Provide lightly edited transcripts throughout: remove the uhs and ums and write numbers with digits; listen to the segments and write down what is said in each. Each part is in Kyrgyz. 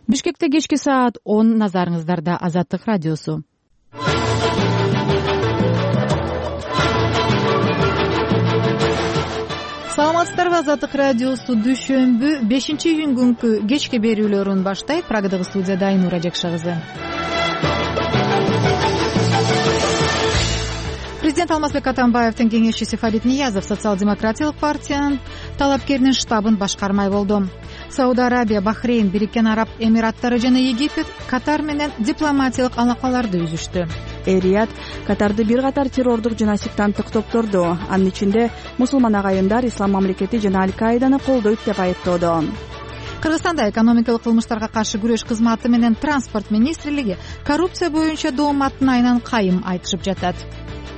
Бишкекте кечки саат 10, назарыңыздарда Азаттык радиосу. Саламатсыздарбы, Азаттык радиосу дүйшөмбү 5-июнь күнкү кечки берүүлөрүн баштайт. Прагадагы студияда Айнура Жекша кызы. Президент Алмазбек Атамбаевдин кеңешчиси Фарид Ниязов социал-демократиялык партиянын талапкеринин штабын башкармай болду. Сауд Арабия, Бахрейн, Бириккен Араб Эмираттары жана Египет Катар менен дипломатиялык алакаларды үзүштү. Рият Катарды бир катар террордук жана сектанттык топторду, анын ичинде мусулман агайындар Ислам мамлекети жана Аль-Каиданы колдойт деп айыптоодо. Кыргызстанда экономикалык кылмыштарга каршы күрөш кызматы менен транспорт министрлиги коррупция боюнча дооматтын айынан кайым айтышып жатат.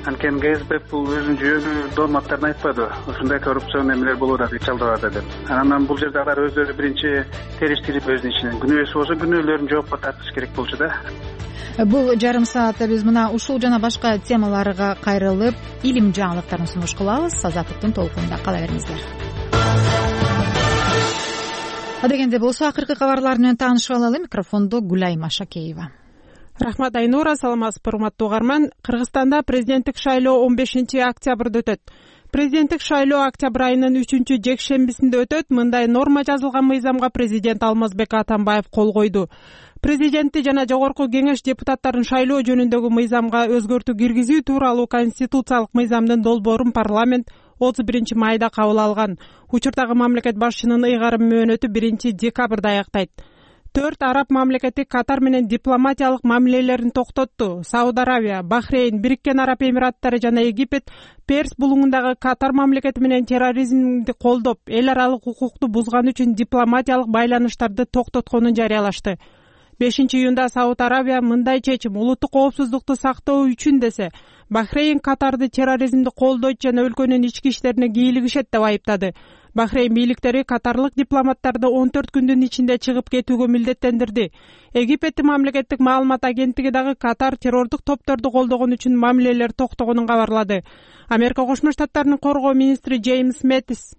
Анткени КСДП бул өзүнүн жүйөлүү дооматтарын айтпады. Ушундай коррупцион эмелер болуп атат, чалдырат деп. Анан бул жерде алар өздөрү биринчи териштирип өзүнүн ишинен күнөөсү болсо күнөөлөрүн жоопко тартыш керек болчу да. Бул жарым саатта биз мына ушул жана башка темаларга кайрылып, илим жаңылыктарын сунуш кылабыз. Азаттыктын толкунунда кала бериңиздер. Адегенде болсо акыркы кабарлар менен таанышып алалы. Микрофондо Гүлайма Шакеева. Рахмат, Айнура. Саламатсызбы, урматтуу угарман. Кыргызстанда президенттик шайлоо 15-октябрда өтөт. Президенттик шайлоо октябрь айынын 3-жекшембисинде өтөт. Мындай норма жазылган мыйзамга президент Алмазбек Атамбаев кол койду. Президентти жана жогорку кеңеш депутаттарын шайлоо жөнүндөгү мыйзамга өзгөртүү киргизүү тууралуу конституциялык мыйзамдын долбоорун парламент 31-майда кабыл алган. Учурдагы мамлекет башчынын ыйгарым мөөнөтү 1-декабрда аяктайт. 4 араб мамлекети Катар менен дипломатиялык мамилелерин токтотту. Сауд Арабия, Бахрейн, Бириккен Араб Эмираттары жана Египет Перс булуңундагы Катар мамлекети менен терроризмди колдоп, эл аралык укукту бузган үчүн дипломатиялык байланыштарды токтотконун жарыялашты. 5-июнда Сауд Арабия мындай чечим улуттук коопсуздукту сактоо үчүн десе, Бахрейн Катарды терроризмди колдойт жана өлкөнүн ички иштерине кийлигишет деп айыптады. Бахрейн бийликтери катарлык дипломаттарды 14 күндүн ичинде чыгып кетүүгө милдеттендирди. Египеттин мамлекеттик маалымат агенттиги дагы Катар террордук топторду колдогон үчүн мамилелер токтогонун кабарлады. Америка Кошмо Штаттарынын коргоо министри Джеймс Мэттис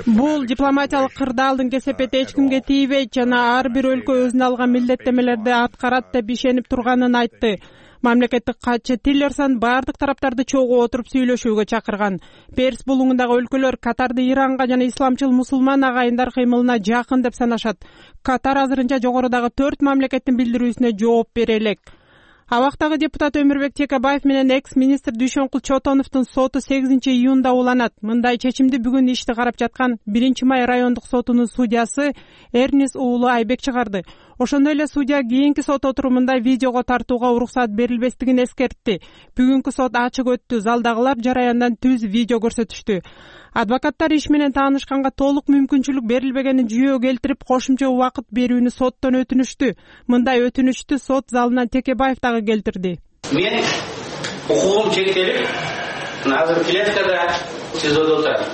бул дипломатиялык кырдаалдын кесепети эч кимге тийбейт жана ар бир өлкө өзүнө алган милдеттемелерди аткарат деп ишенип турганын айтты. Мамлекеттик катчы Тиллерсон баардык тараптарды чогуу отуруп сүйлөшүүгө чакырган. Перс булуңундагы өлкөлөр Катарды Иранга жана исламчыл мусулман агайындар кыймылына жакын деп санашат. Катар азырынча жогорудагы 4 мамлекеттин билдирүүсүнө жооп бере элек. Абактагы депутат Өмүрбек Текебаев менен экс-министр Дүйшөнкул Чотоновдун соту 8-июнда уланат. Мындай чечимди бүгүн ишти карап жаткан 1-май райондук сотунун судьясы Эрнис уулу Айбек чыгарды. Ошондой эле судья кийинки сот отурумунда видеого тартууга уруксат берилбестигин эскертти. Бүгүнкү сот ачык өттү. Залдагылар жараяндан түз видео көрсөтүштү. Адвокаттар иш менен таанышканга толук мүмкүнчүлүк берилбегенин жүйө келтирип, кошумча убакыт берүүнү соттон өтүнүштү. Мындай өтүнүштү сот залынан Текебаев дагы келтирди. Мен укугум чектелип, азыр клеткада СИЗОдо отурам.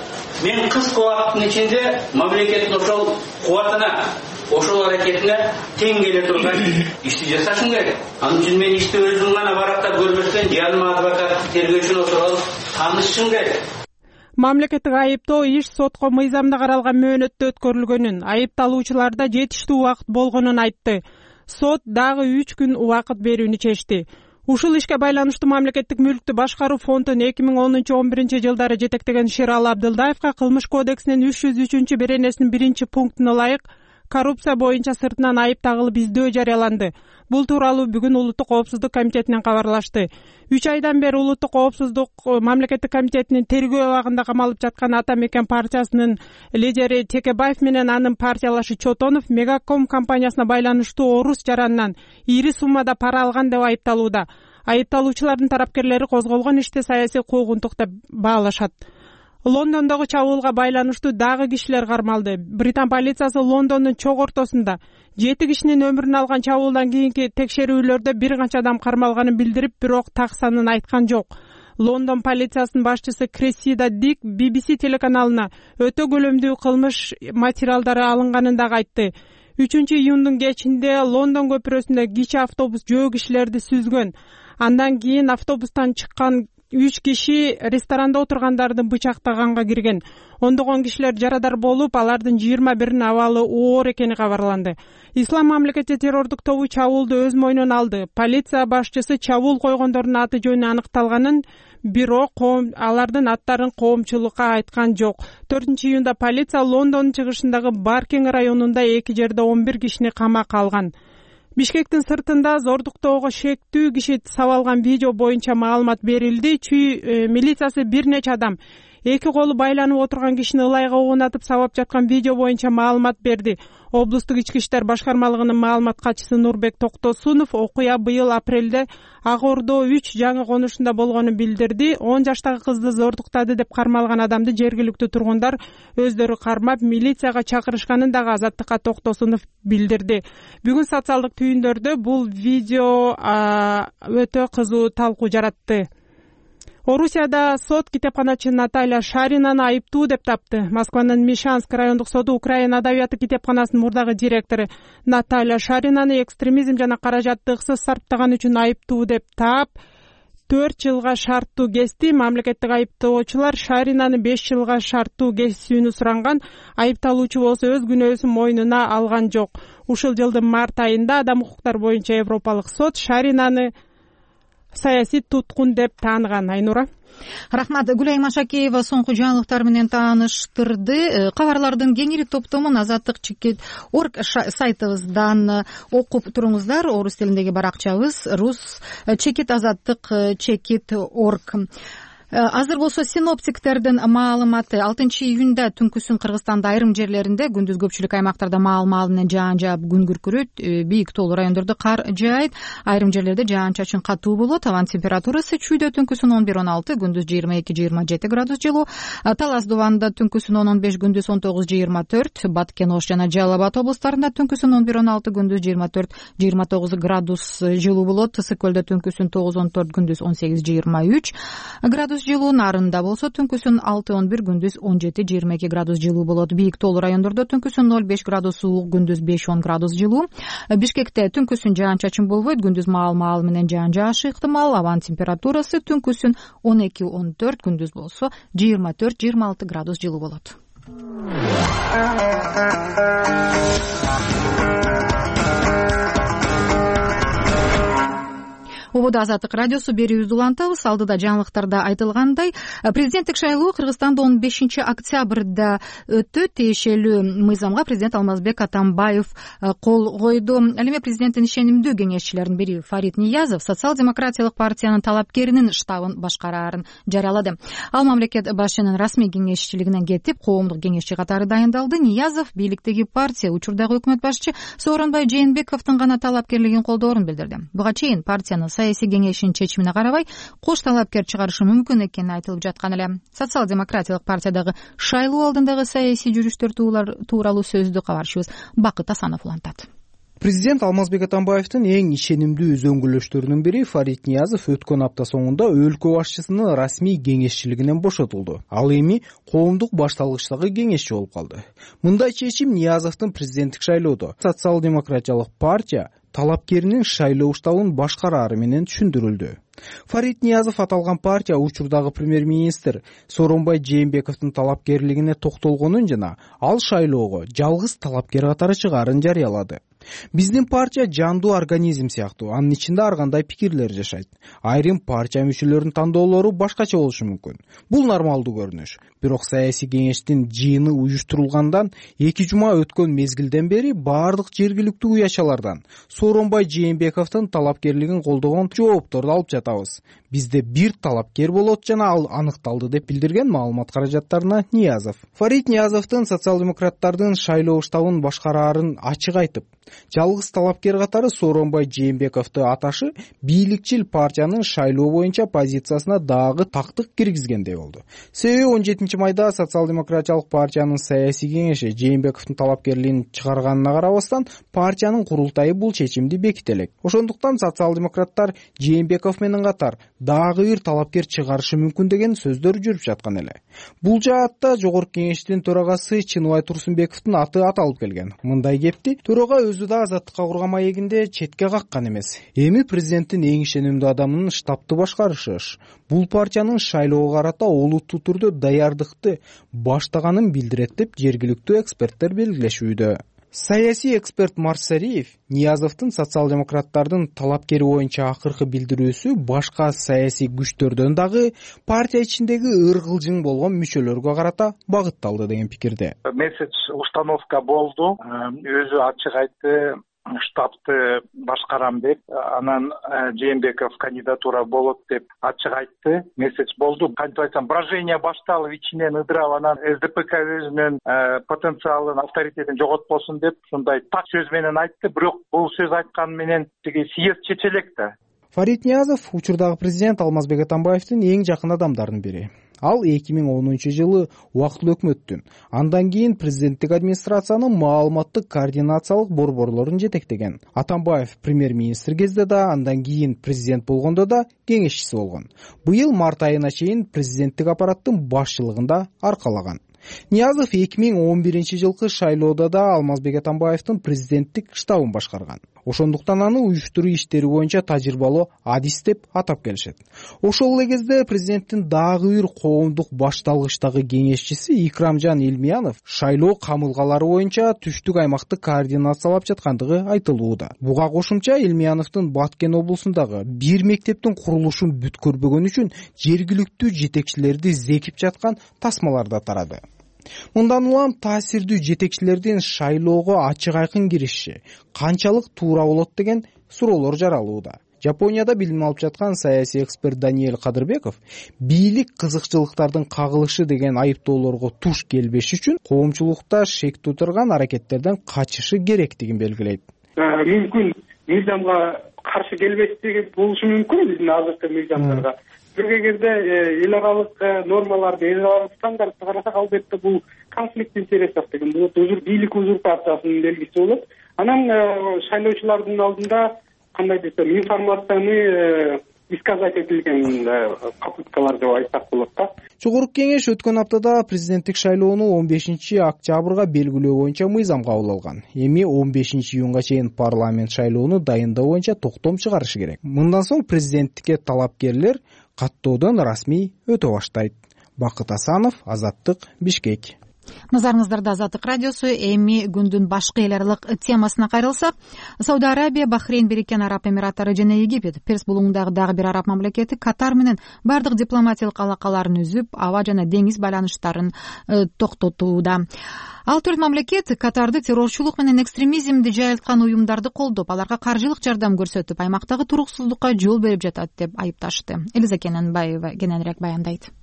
Мен кыска убакыттын ичинде мамлекеттин ошол кубатына, ошол аракетине тең келе турган ишти жасашым керек. Анын үчүн мен ишти өзүм гана барактап көрбөстөн, жаныма адвокат, тергөөчүнү отуруп таанышышым керек. Мамлекеттик айыптоо иш сотко мыйзамда каралган мөөнөттө өткөрүлгөнүн, айыпталуучуларда жетиштүү убакыт болгонун айтты. Сот дагы 3 күн убакыт берүүнү чечти. Ушул ишке байланыштуу мамлекеттик мүлктү башкаруу фондун 2010-11 жылдары жетектеген Шералы Абдылдаевга кылмыш кодексинин 303 беренесинин 1-пунктуна ылайык коррупция боюнча сыртынан айып тагылып издөө жарыяланды. Бул тууралуу бүгүн Улуттук коопсуздук комитетинен кабарлашты. 3 айдан бери Улуттук коопсуздук мамлекеттик комитетинин тергөө абагында камалып жаткан Ата Мекен партиясынын лидери Текебаев менен анын партиялашы Чотонов Мегаком компаниясына байланыштуу орус жаранынан ири суммада пара алган деп айыпталууда. Айыпталуучулардын тарапкерлери козголгон ишти саясий куугунтук деп баалашат. Лондондогу чабуулга байланыштуу дагы кишилер кармалды. Британ полициясы Лондондун чок ортосунда 7 кишинин өмүрүн алган чабуулдан кийинки текшерүүлөрдө бир канча адам кармалганын билдирип, бирок так санын айткан жок. Лондон полициясынын башчысы Крессида Дик BBC телеканалына өтө көлөмдүү кылмыш материалдары алынганын дагы айтты. 3-июндун кечинде Лондон көпүрөсүндө кичи автобус жөө кишилерди сүзгөн. Андан кийин автобустан чыккан 3 киши ресторанда отургандарды бычактаганга кирген. Ондогон кишилер жарадар болуп, алардын 21-ин абалы оор экени кабарланды. Ислам мамлекети террордук тобу чабуулду өз мойнуна алды. Полиция башчысы чабуул койгондордун аты жөнү аныкталганын, бирок алардын аттарын коомчулукка айткан жок. 4-июнда полиция Лондондун чыгышындагы Баркинг районунда 2 жерде 11 кишини камакка алган. Бишкектин сыртында зордуктоого шектүү киши сабалган видео боюнча маалымат берилди. Чүй милициясы бир нече адам 2 колу байланып отурган кишини ылайга угунатып сабап жаткан видео боюнча маалымат берди. Облустук ички иштер башкармалыгынын маалымат катчысы Нурбек Токтосунов окуя быйыл апрелде Ак Ордо 3 жаңы конушунда болгонун билдирди. 10 жаштагы кызды зордуктады деп кармалган адамды жергиликтүү тургундар өздөрү кармап, милицияга чакырышканын дагы Азаттыкка Токтосунов билдирди. Бүгүн социалдык түйүндөрдө бул видео өтө кызуу талкуу жаратты. Орусияда сот китепканачы Наталья Шаринаны айыптуу деп тапты. Москванын Мишанск райондук соду Украина адабияты китепканасынын мурдагы директору Наталья Шаринаны экстремизм жана каражаттыксыз сарптаган үчүн айыптуу деп таап, 4 жылга шарттуу кести. Мамлекеттик айыптоочулар Шаринаны 5 жылга шарттуу кесүүнү суранган. Айыпталуучу болсо өз күнөөсүн мойнуна алган жок. Ушул жылдын март айында Адам укуктары боюнча Европалык сот Шаринаны саясий туткун деп тааныган. Айнура. Рахмат. Гүлай Машакеева соңку жаңылыктар менен тааныштырды. Кабарлардын кеңири топтомун Азаттык.org сайтыбыздан окуп туруңуздар. Орус тилиндеги баракчабыз рус @Azattyk.org. Азыр болсо синоптиктердин маалыматы 6-июнда түнкүсүн Кыргызстанда айрым жерлеринде, күндүз көпчүлүк аймактарда маал менен жаан жаап күн күркүрөйт, бийик тоолуу райондордо кар жаайт, айрым жерлерде жаан-чачын катуу болот. Абанын температурасы чүйдө түнкүсүн 11-16, күндүз 22-27 градус жылуу. Талас Дубанда түнкүсүн 10-15, күндүз 19-24, Баткен, Ош жана Жалал Абад облустарында түнкүсүн 11-16, күндүз 24-29 градус жылуу болот. Ысык көлдө түнкүсүн 9-14, күндүз 18-23 градус жылуу. Нарында болсо түнкүсүн 6-11, күндүз 17-22 градус жылуу болот. Бийик тоолуу райондордо түнкүсүн 0-5 градус суук, күндүз 5-10 градус жылуу. Бишкекте түнкүсүн жаан-чачын болбойт, күндүз маал менен жаан жаашы ыктымал. Абанын температурасы түнкүсүн 12-14, күндүз болсо 24-26 градус жылуу болот. Убада Азаттык радиосу берүүбүздү улантабыз. Алдыда жаңылыктарда айтылгандай, президенттик шайлоо Кыргызстанда 15-октябрда өттү. Тиешелүү мыйзамга президент Алмазбек Атамбаев кол койду. Ал эми президенттин ишенимдүү кеңешчилеринин бири Фарид Ниязов социал-демократиялык партиянын талапкеринин штабын башкараарын жарыялады. Ал мамлекет башчынын расмий кеңешчилигинен кетип, коомдук кеңешчи катары дайындалды. Ниязов бийликтеги партия, учурдагы өкмөт башчы Сооронбай Жээнбековдун гана талапкерлигин колдоорун билдирди. Буга чейин партиянын саясий кеңешинин чечимине карабай кош талапкер чыгарышы мүмкүн экени айтылып жаткан эле. Социал-демократиялык партиядагы шайлоо алдындагы саясий жүрүштөр тууралуу сөздү кабарчыбыз Бакыт Асанов улантат. Президент Алмазбек Атамбаевдин эң ишенимдүү өзөңгүлөштөрүнүн бири Фарид Ниязов өткөн апта соңунда өлкө башчысынын расмий кеңешчилигинен бошотулду. Ал эми коомдук башталгычтагы кеңешчи болуп калды. Мындай чечим Ниязовдун президенттик шайлоодо социал-демократиялык партия талапкеринин шайлоо штабын башкараары менен түшүндүрүлдү. Фарид Ниязов аталган партия учурдагы премьер-министр Сооронбай Жээнбековдун талапкерлигине токтолгонун жана ал шайлоого жалгыз талапкер катары чыгаарын жарыялады. Биздин партия жандуу организм сыяктуу, анын ичинде ар кандай пикирлер жашайт. Айрым партия мүчөлөрүнүн тандоолору башкача болушу мүмкүн. Бул нормалдуу көрүнүш. Бирок саясий кеңештин жыйыны уюштурулгандан 2 жума өткөн мезгилден бери баардык жергиликтүү уячалардан Сооронбай Жээнбековдун талапкерлигин колдогон жоопторду алып жатабыз. Бизде бир талапкер болот жана ал аныкталды деп билдирген маалымат каражаттарына Ниязов. Фарид Ниязовдун социал-демократтардын шайлоо штабын башкараарын ачык айтып, жалгыз талапкер катары Сооронбай Жээнбековду аташы бийликчил партиянын шайлоо боюнча позициясына дагы тактык киргизгендей болду. Себеби 17 майда социал-демократиялык партиянын саясий кеңеши Жээнбековдун талапкерлигин чыгарганына карабастан партиянын курултайы бул чечимди беките элек. Ошондуктан социал-демократтар Жээнбеков менен катар дагы бир талапкер чыгарышы мүмкүн деген сөздөр жүрүп жаткан эле. Бул жаатта жогорку кеңештин төрагасы Чыныбай Турсунбековдун аты аталып келген. Мындай кепти төрага өзү өзү да азаттыкка курган маегинде четке каккан эмес. Эми президенттин эң ишенимдүү адамынын штабты башкарышы бул партиянын шайлоого карата олуттуу түрдө даярдыкты баштаганын билдирет деп жергиликтүү эксперттер белгилешүүдө. Саясий эксперт Марсариев Ниязовдун социал-демократтардын талапкери боюнча акыркы билдирүүсү башка саясий күчтөрдөн дагы партия ичиндеги ыргылжың болгон мүчөлөргө карата багытталды деген пикирде. Месседж установка болду. Өзү ачык айтты, штабты башкарам деп, анан Жээнбеков кандидатура болот деп ачык айтты. Месседж болду. Кантип айтсам, брожение башталып, ичинен ыдырап, анан СДПК өзүнүн потенциалын, авторитетин жоготпосун деп ушундай так сөз менен айтты. Бирок бул сөз айткан менен тиги съезд чечелек да. Фарид Ниязов учурдагы президент Алмазбек Атамбаевдин эң жакын адамдарынын бири. Ал 2010-жылы убактылуу өкмөттүн, андан кийин президенттик администрациянын маалыматтык координациялык борборлорун жетектеген. Атамбаев премьер-министр кезде да, андан кийин президент болгондо да кеңешчиси болгон. Быйыл март айына чейин президенттик аппараттын башчылыгында аркалаган. Ниязов 2011-жылкы шайлоодо да Алмазбек Атамбаевдин президенттик штабын башкарган. Ошондуктан аны уюштуруу иштери боюнча тажрыйбалуу адис деп атап келишет. Ошол эле кезде президенттин дагы бир коомдук башталгычтагы кеңешчиси Икрамжан Илмиянов шайлоо камылгалары боюнча түштүк аймакты координациялап жаткандыгы айтылууда. Буга кошумча Илмияновдун Баткен облусундагы бир мектептин курулушун бүткөрбөгөн үчүн жергиликтүү жетекчилерди зекип жаткан тасмалар да тарады. Мындан улам таасирдүү жетекчилердин шайлоого ачык айкын кириши канчалык туура болот деген суроолор жаралууда. Жапонияда билим алып жаткан саясий эксперт Даниэль Кадырбеков бийлик кызыкчылыктардын кагылышы деген айыптоолорго туш келбеш үчүн коомчулукта шек туудурган аракеттерден качышы керектигин белгилейт. Мүмкүн мыйзамга каршы келбестиги болушу мүмкүн биздин азыркы мыйзамдарга. Бир кезде эл аралык нормаларды, эл аралык стандартты карасак, албетте бул конфликт интересов деген болот, бийлик узурпациясынын белгиси болот. Анан шайлоочулардын алдында кандай десем, информацияны исказать этилген попыткалар деп айтсак болот да. Жогорку кеңеш өткөн аптада президенттик шайлоону 15-октябрга белгилөө боюнча мыйзам кабыл алган. Эми 15-июнга чейин парламент шайлоону дайындоо боюнча токтом чыгарышы керек. Мындан соң президенттикке талапкерлер каттоодон расмий өтө баштайт. Бакыт Асанов, Азаттык, Бишкек. Назарыңыздарда Азаттык радиосу. Эми күндүн башка эл аралык темасына кайрылсак, Сауд Арабия, Бахрейн, Бириккен Араб Эмираттары жана Египет Перс булуңундагы дагы бир араб мамлекети Катар менен бардык дипломатиялык алакаларын үзүп, аба жана деңиз байланыштарын токтотууда. Ал төрт мамлекет Катарды террорчулук менен экстремизмди жайылткан уюмдарды колдоп, аларга каржылык жардам көрсөтүп, аймактагы туруксуздукка жол берип жатат деп айыпташты. Элиза Кененбаева кененирээк баяндайт.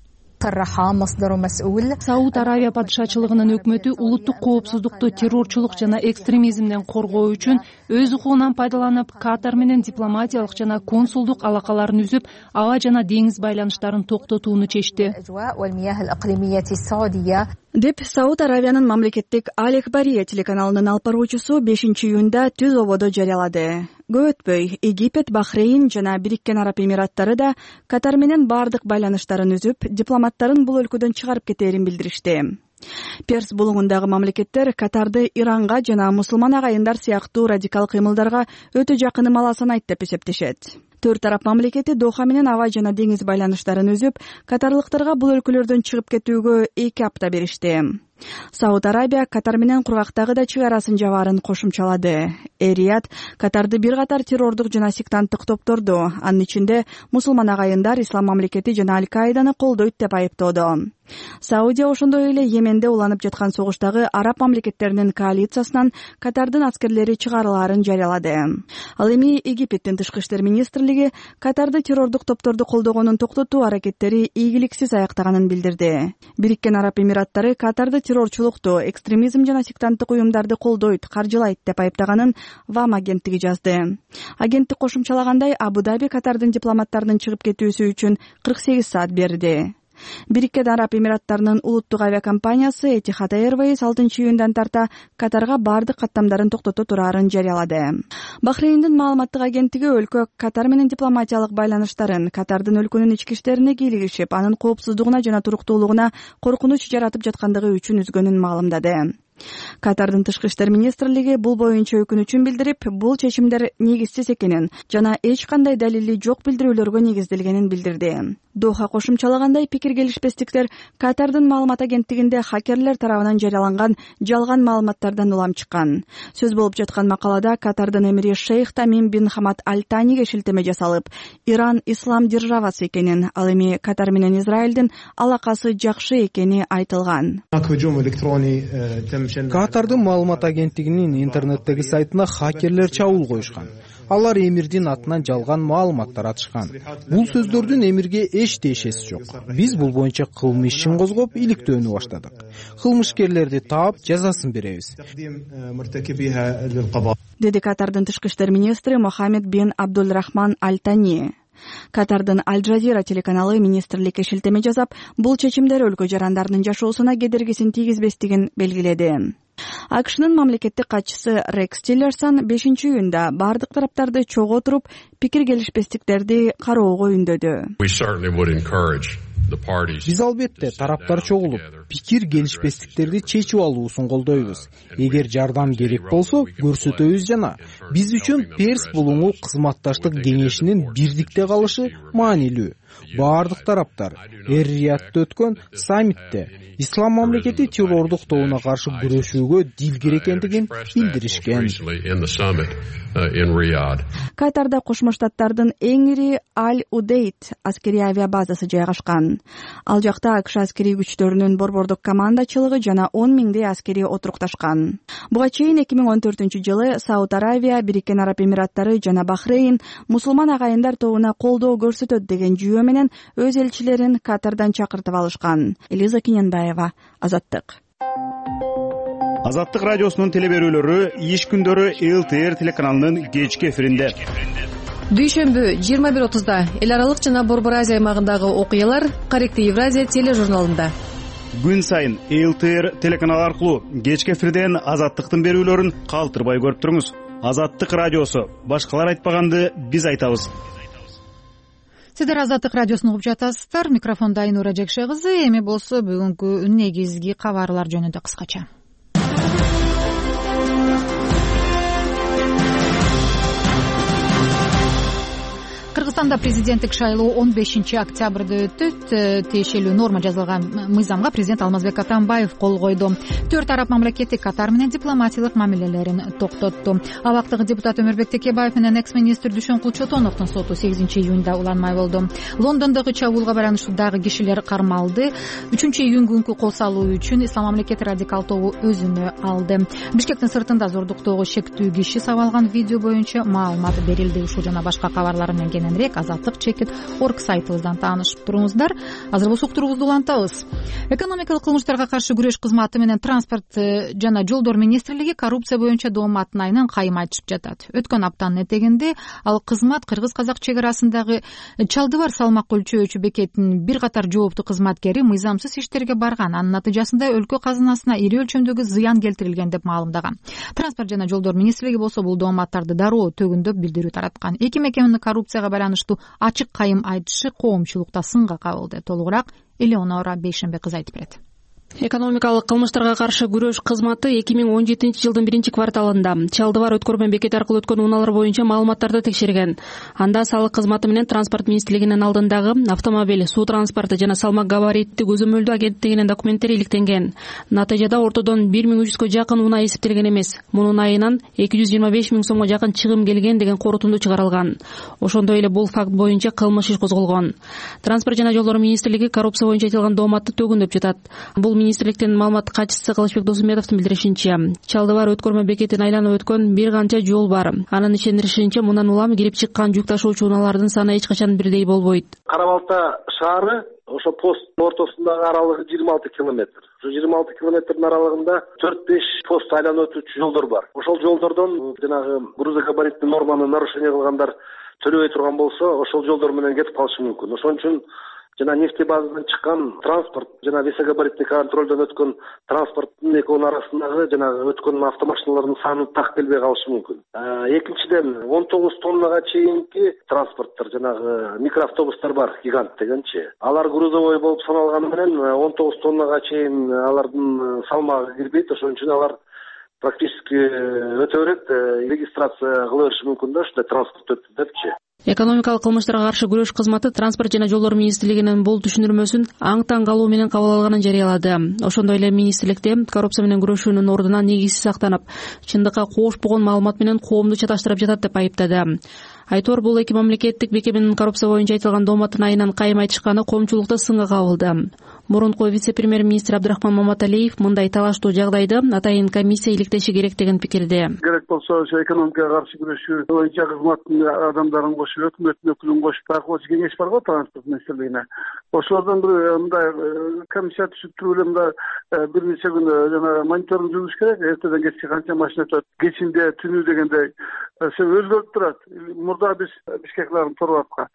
Сауд Арабия падышачылыгынын өкмөтү улуттук коопсуздукту террорчулук жана экстремизмден коргоо үчүн өз укугунан пайдаланып, Катар менен дипломатиялык жана консулдук алакаларын үзүп, аба жана деңиз байланыштарын токтотууну чечти деп Сауд Арабиянын мамлекеттик Аль-Экбария телеканалынын алып баруучусу 5-июнда түз ободо жарыялады. Көп өтпөй Египет, Бахрейн жана Бириккен Араб Эмираттары да Катар менен бардык байланыштарын үзүп, дипломаттарын бул өлкөдөн чыгарып кетээрин билдиришти. Перс булуңундагы мамлекеттер Катарды Иранга жана мусулман агайындар сыяктуу радикал кыймылдарга өтө жакын ымала санайт деп эсептешет. Төрт араб мамлекети Доха менен аба жана деңиз байланыштарын үзүп, катарлыктарга бул өлкөлөрдөн чыгып кетүүгө 2 апта беришти. Сауд Арабия Катар менен кургактагы да чыга арасын жабаарын кошумчалады. Эрият Катарды бир катар террордук жана сектанттык топторду, анын ичинде мусулман агайындар, Ислам мамлекети жана Аль-Каиданы колдойт деп айыптоодо. Саудия ошондой эле Йеменде уланып жаткан согуштагы араб мамлекеттеринин коалициясынан Катардын аскерлери чыгарылаарын жарыялады. Ал эми Египеттин тышкы иштер министрлиги Катарды террордук топторду колдогонун токтотуу аракеттери ийгиликсиз аяктаганын билдирди. Бириккен Араб Эмираттары Катарды террорчулукту, экстремизм жана сектанттык уюмдарды колдойт, каржылайт деп айыптаганын ВАМ агенттиги жазды. Агенттик кошумчалагандай, Абу-Даби Катардын дипломаттарынын чыгып кетүүсү үчүн 48 саат берди. Бириккен Араб Эмираттарынын улуттук авиакомпаниясы Etihad Airways 6-июндан тарта Катарга бардык каттамдарын токтото турарын жарыялады. Бахрейндин маалыматтык агенттиги өлкө Катар менен дипломатиялык байланыштарын, Катардын өлкөнүн ички иштерине кийлигишип, анын коопсуздугуна жана туруктуулугуна коркунуч жаратып жаткандыгы үчүн үзгөнүн маалымдады. Катардын тышкы иштер министрлиги бул боюнча өкүнүчүн билдирип, бул чечимдер негизсиз экенин жана эч кандай далили жок билдирүүлөргө негизделгенин билдирди. Доха кошумчалагандай, пикир келишпестиктер Катардын маалымат агенттигинде хакерлер тарабынан жарыяланган жалган маалыматтардан улам чыккан. Сөз болуп жаткан макалада Катардын эмири Шейх Тамим бин Хамад Аль-Таниге шилтеме жасалып, Иран ислам державасы экенин, ал эми Катар менен Израилдин алакасы жакшы экени айтылган. Катардын маалымат агенттигинин интернеттеги сайтына хакерлер чабуул коюшкан. Алар эмирдин атынан жалган маалыматтар атышкан. Бул сөздөрдүн эмирге эч тиешеси жок. Биз бул боюнча кылмыш ишин козгоп, иликтөөнү баштадык. Кылмышкерлерди таап, жазасын беребиз, деди Катардын тышкы иштер министри Мохаммед бин Абдулрахман Аль-Тани. Катардын Аль-Джазира телеканалы министрликке шилтеме жасап, бул чечимдер өлкө жарандарынын жашоосуна кедергисин тийгизбестигин белгиледи. АКШнын мамлекеттик катчысы Рекс Тиллерсон 5-июнда бардык тараптарды чогуу туруп, пикир келишпестиктерди кароого үндөдү. Биз албетте тараптар чогулуп, пикир келишпестиктерди чечип алуусун колдойбуз. Эгер жардам керек болсо, көрсөтөбүз жана биз үчүн Перс булуңу кызматташтык кеңешинин бирдикте калышы маанилүү. Бардык тараптар Эр-Риядта өткөн саммитте ислам мамлекети террордук тобуна каршы күрөшүүгө дилгир экендигин билдиришкен. Катарда Кошмо Штаттардын эң ири Аль-Удейд аскерий авиабазасы жайгашкан. Ал жакта АКШ аскерий күчтөрүнүн борбордук командачылыгы жана 10 миңдей аскери отурукташкан. Буга чейин 2014-жылы Сауд Аравия, Бириккен Араб Эмираттары жана Бахрейн мусулман агайындар тобуна колдоо көрсөтөт деген жүйө менен өз элчилерин Катардан чакыртып алышкан. Элиза Киненбаева, Азаттык. Азаттык радиосунун телеберүүлөрү иш күндөрү ЛТР телеканалынын кечки эфиринде. Дүйшөмбү 21:30 эл аралык жана Борбор Азия аймагындагы окуялар Каректи Евразия тележурналында. Күн сайын ЛТР телеканалы аркылуу кечки эфирден Азаттыктын берүүлөрүн калтырбай көрүп туруңуз. Азаттык радиосу, башкалар айтпаганды биз айтабыз. Сиздер Азаттык радиосун угуп жатасыздар. Микрофонда Айнура Жекше кызы. Эми болсо бүгүнкү негизги кабарлар жөнүндө кыскача. Кыргызстанда президенттик шайлоо 15-октябрда өтөт. Тиешелүү норма жазылган мыйзамга президент Алмазбек Атамбаев кол койду. 4 араб мамлекети Катар менен дипломатиялык мамилелерин токтотту. Абактагы депутат Өмөрбек Текебаев менен экс-министр Дүйшөн Кулчотоновдун соту 8-июнда уланмай болду. Лондондогу чабуулга байланыштуу дагы кишилер кармалды. 3-июнь күнкү кол салуу үчүн Ислам мамлекети радикал тобу өзүнө алды. Бишкектин сыртында зордуктоого шектүү киши сабалган видео боюнча маалымат берилди. Ушул жана башка кабарлар менен кененирээк Азаттык /org сайтыбыздан таанышып туруңуздар. Азыр болсо уктуруубузду улантабыз. Экономикалык кылмыштарга каршы күрөш кызматы менен транспорт жана жолдор министрлиги коррупция боюнча дооматтын айынан кайым айтышып жатат. Өткөн аптанын этегинде ал кызмат кыргыз-казак чек арасындагы Чалдыбар салмак өлчөөчү бекетинин бир катар жооптуу кызматкери мыйзамсыз иштерге барган. Анын натыйжасында өлкө казынасына ири өлчөмдөгү зыян келтирилген деп маалымдаган. Транспорт жана жолдор министрлиги болсо бул дооматтарды дароо төгүндөп билдирүү тараткан. Эки мекеменин коррупцияга байланыштуу ачык кайым айтышы коомчулукта сынга кабылды. Толугураак Элеонора Бейшенбек кызы айтып берет. Экономикалык кылмыштарга каршы күрөш кызматы 2017-жылдын 1-кварталында Чалдыбар өткөрмөн бекети аркылуу өткөн унаалар боюнча маалыматтарды текшерген. Анда салык кызматы менен транспорт министрлигинин алдындагы автомобиль, суу транспорты жана салмак габариттик көзөмөлдөө агенттигинин документтери иликтенген. Натыйжада ортодон 1300 жакын унаа эсептелген эмес. Мунун айынан 225 000 сомго жакын чыгым келген деген корутунду чыгарылган. Ошондой эле бул факт боюнча кылмыш иш козголгон. Транспорт жана жолдор министрлиги коррупция боюнча айтылган дооматты төгүндөп жатат. Бул министрликтин маалымат катчысы Кылычбек Досумедовдун билдиришинче, Чалдыбар өткөрмө бекетин айланып өткөн бир канча жол бар. Анын ишендиришинче, мындан улам кирип чыккан жүк ташуучу унаалардын саны эч качан бирдей болбойт. Кара-Балта шаары ошо пост ортосундагы аралыгы 26 километр. Ошо 26 километрдин аралыгында 4-5 пост айланып өтүүчү жолдор бар. Ошол жолдордон жанагы грузогабариттик норманы нарушение кылгандар төлөбөй турган болсо, ошол жолдор менен кетип калышы мүмкүн. Ошон үчүн жана нефтебазадан чыккан транспорт жана весогабаритный контролдон өткөн транспорттун экөөнүн арасындагы жанагы өткөн автомашиналардын саны так келбей калышы мүмкүн. Экинчиден 19 тоннага чейинки транспорттор жанагы микроавтобустар бар, гигант дегенчи. Алар грузовой болуп саналганы менен 19 тоннага чейин алардын салмагы кирбейт. Ошон үчүн алар практически өтө берет, регистрация кыла бериши мүмкүн да, ушундай транспорт өттү депчи. Экономикалык кылмыштарга каршы күрөш кызматы Транспорт жана жолдор министрлигинин бул түшүндүрмөсүн аң таң калуу менен кабыл алганын жарыялады. Ошондой эле министрликте коррупция менен күрөшүүнүн ордуна негизсиз сактанып, чындыкка коошпогон маалымат менен коомду чаташтырып жатат деп айыптады. Айтор бул эки мамлекеттик мекеменин коррупция боюнча айтылган дооматтын айынан кайым айтышканы коомчулукта сынга кабылды. Мурунку вице-премьер-министр Абдрахман Маматалиев мындай талаштуу жагдайды атайын комиссия иликтеши керек деген пикирде. Керек болсо ошо экономикага каршы күрөшүү боюнча кызматтын адамдарын кошуп, өкмөттүн өкүлүн кошуп, такып кеңеш бар го транспорт министрлигине. Ошолордон бир мындай комиссия түзүп туруп эле мындай бир нече күн жана мониторинг жүргүзүш керек. Эртеден кечке канча машина өтөт, кечинде, түнү дегендей өзгөрүп турат. Мурда биз Бишкек Торватка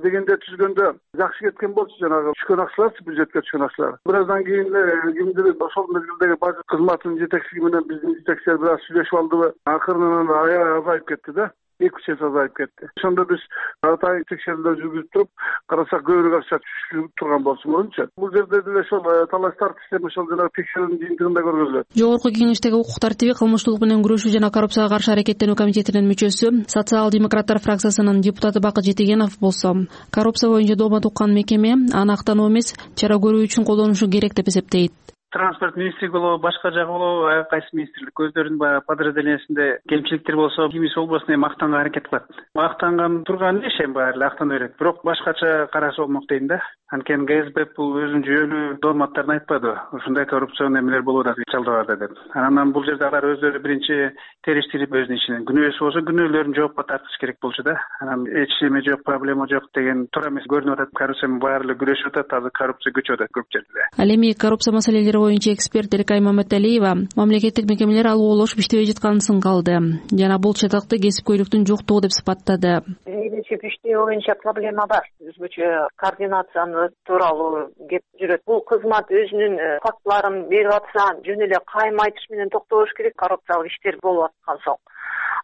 дегенде түзгөндө жакшы кеткен болчу, жанагы түшкөн акчалар, бюджетке түшкөн акчалар. Бир аздан кийин кимдир ошол мезгилдеги бажы кызматынын жетекчиси менен биздин жетекчилер бир аз сүйлөшүп алдыбы, акырынан аябай азайып кетти да. 2-3 эсе азайып кетти. Ошондо биз атайын текшерүүлөр жүргүзүп туруп, карасак көбүрөөк акча түшүп турган болчу мурунчу. Бул жерде деле ошол талаштар система ошол жана текшерүүнүн жыйынтыгында көргөзүлөт. Жогорку кеңештеги укук тартиби, кылмыштуулук менен күрөшүү жана коррупцияга каршы аракеттенүү комитетинин мүчөсү, социал-демократтар фракциясынын депутаты Бакыт Жетегенов болсо, коррупция боюнча доомат уккан мекеме аны актануу эмес, чара көрүү үчүн колдонушу керек деп эсептейт. Транспорт министрлиги болобу, башка жагы болобу, ай кайсы министрлик өздөрүнүн баягы подразделениясинде кемчиликтер болсо, кимиси болбосун эми актанганга аракет кылат. Актанган турган иш эми баары эле актана берет. Бирок башкача караса болмок дейм да. Анткени ГСБ бул өзүнүн жүйөлүү дооматтарын айтпады. Ушундай коррупцион эмелер болуп атат, чалдап атат деп. Анан бул жерде алар өздөрү биринчи териштирип өзүнүн ишин, күнөөсү болсо күнөөлөрүн жоопко тартыш керек болчу да. Анан эч неме жок, проблема жок деген туура эмес көрүнүп атат. Коррупция менен баары эле күрөшүп атат, азыр коррупция көчүп атат көп жерде. Ал эми коррупция маселелери боюнча эксперт Эркай Маматалиева мамлекеттик мекемелер алып иштебей жатканын сынга алды жана бул чатакты кесипкөйлүктүн жоктугу деп сыпаттады. Биринчи иштөө боюнча проблема бар. Өзгөчө координацияны тууралуу кеп жүрөт. Бул кызмат өзүнүн фактыларын берип атса, жөн эле кайым айтыш менен токтобош керек. Коррупциялык иштер болуп аткан соң.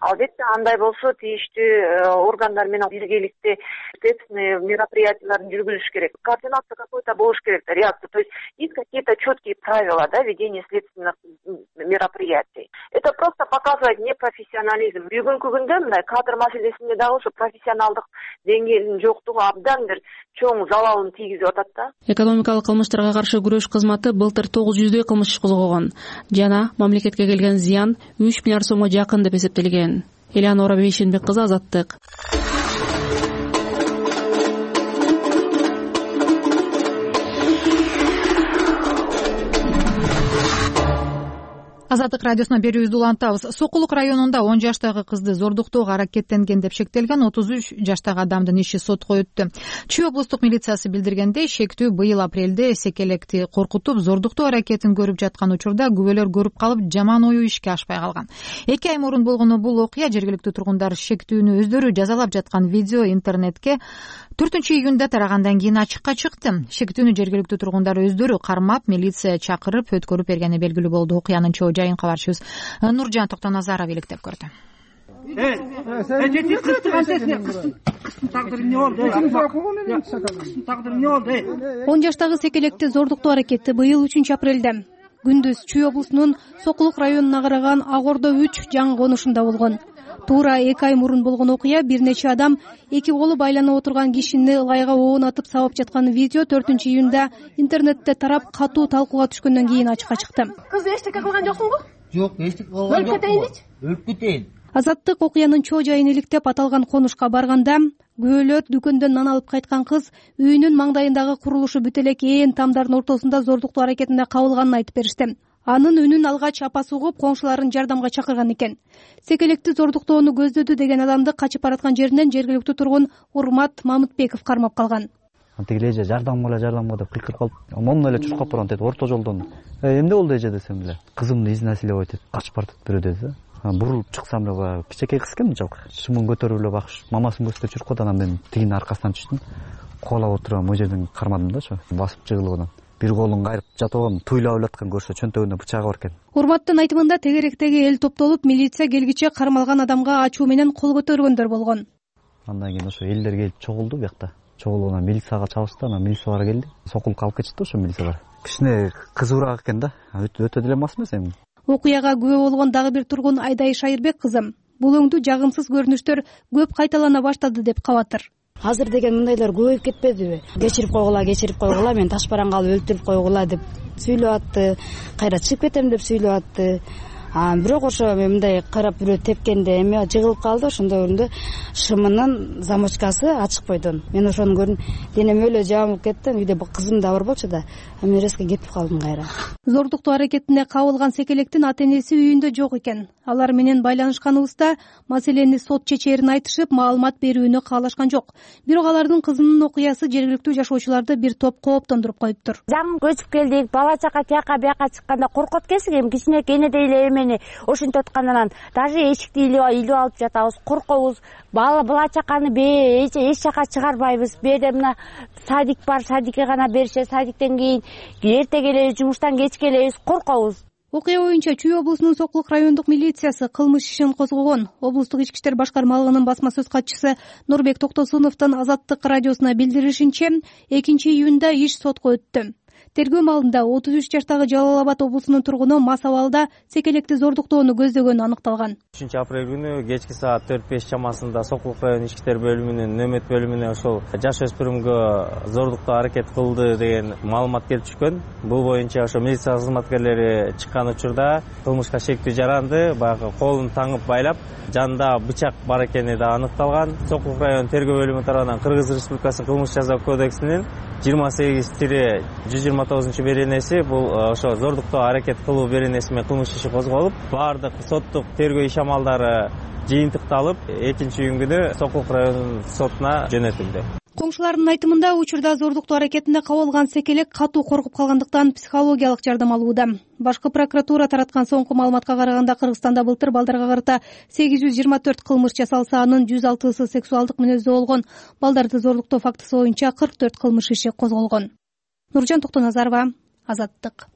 Албетте андай болсо тийиштүү органдар менен биргеликте ответственные мероприятияларын жүргүзүш керек. Координация какой-то болуш керек, реакция. То есть есть какие-то четкие правила, да, ведения следственных мероприятий. Это просто показывает непрофессионализм. Бүгүнкү күндө мындай кадр маселесинде дагы ошо профессионалдык деңгээлинин жоктугу абдан бир чоң залалын тийгизип атат да. Экономикалык кылмыштарга каршы күрөш кызматы былтыр 900 кылмыш иш козгогон жана мамлекетке келген зыян 3 миллиард сомго жакын деп эсептелген. Элеонора Бейшенбек кызы, Азаттык. Азаттык радиосуна берүүбүздү улантабыз. Сокулук районунда 10 жаштагы кызды зордуктоого аракеттенген деп шектелген 33 жаштагы адамдын иши сотко өттү. Чүй облустук милициясы билдиргендей, шектүү быйыл апрелде секелекти коркутуп, зордуктоо аракетин көрүп жаткан учурда күбөлөр көрүп калып, жаман ою ишке ашпай калган. 2 ай мурун болгону бул окуя жергиликтүү тургундар шектүүнү өздөрү жазалап жаткан видео интернетке 4-июнда тарагандан кийин ачыкка чыкты. Шектүүнү жергиликтүү тургундар өздөрү кармап, милиция чакырып, өткөрүп бергени белгилүү болду. Окуянын чоо жайын кабарчыбыз Нуржан Токтоназаров иликтеп көрдү. Он жаштагы секелекти зордуктоо аракети быйыл 3 апрелде күндүз Чүй облусунун Сокулук районуна караган Ак Ордо 3 жаңы конушунда болгон. Туура 2 ай мурун болгон окуя бир нече адам эки колу байланып отурган кишини ылайга оон атып сабап жаткан видео 4-июнда интернетте тарап, катуу талкууга түшкөндөн кийин ачыкка чыкты. Кыз эчтеке кылган жоксуңбу? Жок, эчтеке кылган жок. Өлүп кетейин. Азаттык окуянын чоо жайын иликтеп аталган конушка барганда күбөлөр дүкөндөн нан алып кайткан кыз үйүнүн маңдайындагы курулушу бүт элек ээн тамдардын ортосунда зордуктоо аракетинде кабылганын айтып беришти. Анын үнүн алгач апасы угуп, коңшуларын жардамга чакырган экен. Секелекти зордуктоону көздөдү деген адамды качып бараткан жеринен жергиликтүү тургун Урмат Мамытбеков кармап калган. Антиги эже жардамга деп кыйкырып калып, момун эле чуркап барган дейт, орто жолдон. Эмне болду эже десем эле, кызымды изнасиловать этип качып бардык бирөө деди. Бурулуп чыксам эле баягы кичинекей кыз экен жалпы. Шымын көтөрүп эле багыш, мамасын көздөп жүрүп калды. Анан мен тигинин аркасынан түштүм. Кубалап отурган могу жерден кармадым да, ошо басып жыгылып анан. Бир колун кайрып жатып алган, туйлап элаткан көрсө чөнтөгүндө бычагы бар экен. Урматтын айтымында тегеректеги эл топтолуп, милиция келгиче кармалган адамга ачуу менен кол көтөргөндөр болгон. Андан кийин ошо элдер келип чогулду буякта. Чогулган милицияга чабышты, анан милициялар келди. Сокулукка алып кетишти ошо милициялар. Кичине кызуураак экен да, өтө деле мас эмес эми. окуяга күбө болгон дагы бир тургун Айдай Шайырбек кызы бул өңдүү жагымсыз көрүнүштөр көп кайталана баштады деп кабатыр. Азыр деген мындайлар көбөйүп кетпедиби? Кечирип койгула, мен таш бараңга алып өлтүрүп койгула деп сүйлөп атты. Кайра чыгып кетем деп сүйлөп атты. Бирок ошо мен мындай карап бирөө тепкенде эме жыгылып калды. Ошондой өрүндө шымынын замочкасы ачык бойдон. Мен ошону көрдүм. Денем өлө жабылып кетти. Үйдө кызым да бар болчу да. Мен резко кетип калдым кайра. Зордуктоо аракетине кабылган секелектин ата-энеси үйүндө жок экен. Алар менен байланышканыбызда маселени сот чечээрин айтышып, маалымат берүүнү каалашкан жок. Бирок алардын кызынын окуясы жергиликтүү жашоочуларды бир топ кооптондуруп коюптур. Жаңы көчүп келдик, бала чака тияка бияка чыкканда коркот келсек, эми кичинекей энедей эле эмени ошентип аткандан даже эшикти илип алып жатабыз, коркобуз. Бала чаканы эч жака чыгарбайбыз. Бу жерде мына садик бар, садикке гана беришет, садиктен кийин эрте келебиз, жумуштан кеч келебиз, коркобуз. Окуя боюнча Чүй облусунун Сокулук райондук милициясы кылмыш ишин козгогон. Облустук ички иштер башкармалыгынын басма сөз катчысы Нурбек Токтосуновдун Азаттык радиосуна билдиришинче, 2-июнда иш сотко өттү. Тергөө маалында 33 жаштагы Жалал Абад облусунун тургуну мас абалда секелекти зордуктоону көздөгөнү аныкталган. 3-апрель күнү кечки саат 4-5 чамасында Сокулук район ички иштер бөлүмүнүн нөмөт бөлүмүнө ошол жаш өспүрүмгө зордуктоо аракет кылды деген маалымат келип түшкөн. Бул боюнча ошо милиция кызматкерлери чыккан учурда кылмышка шектүү жаранды баягы колун таңып байлап, жанында бычак бар экени да аныкталган. Сокулук район тергөө бөлүмү тарабынан Кыргыз Республикасынын кылмыш жаза кодексинин 28-129 беренеси бул ошо зордуктоо аракет кылуу беренеси менен кылмыш иши козголуп, баардык соттук тергөө иш амалдары жыйынтыкталып, 2-июнь күнү Сокулук районунун сотуна жөнөтүлдү. Коңшулардын айтымында учурда зордуктоо аракетине кабылган секелек катуу коркуп калгандыктан психологиялык жардам алууда. Башкы прокуратура тараткан соңку маалыматка караганда Кыргызстанда былтыр балдарга карата 824 кылмыш жасалса, анын 106сы сексуалдык мүнөздүү болгон. Балдарды зордуктоо фактысы боюнча 44 кылмыш иши козголгон. Нуржан Токтоназарова, Азаттык.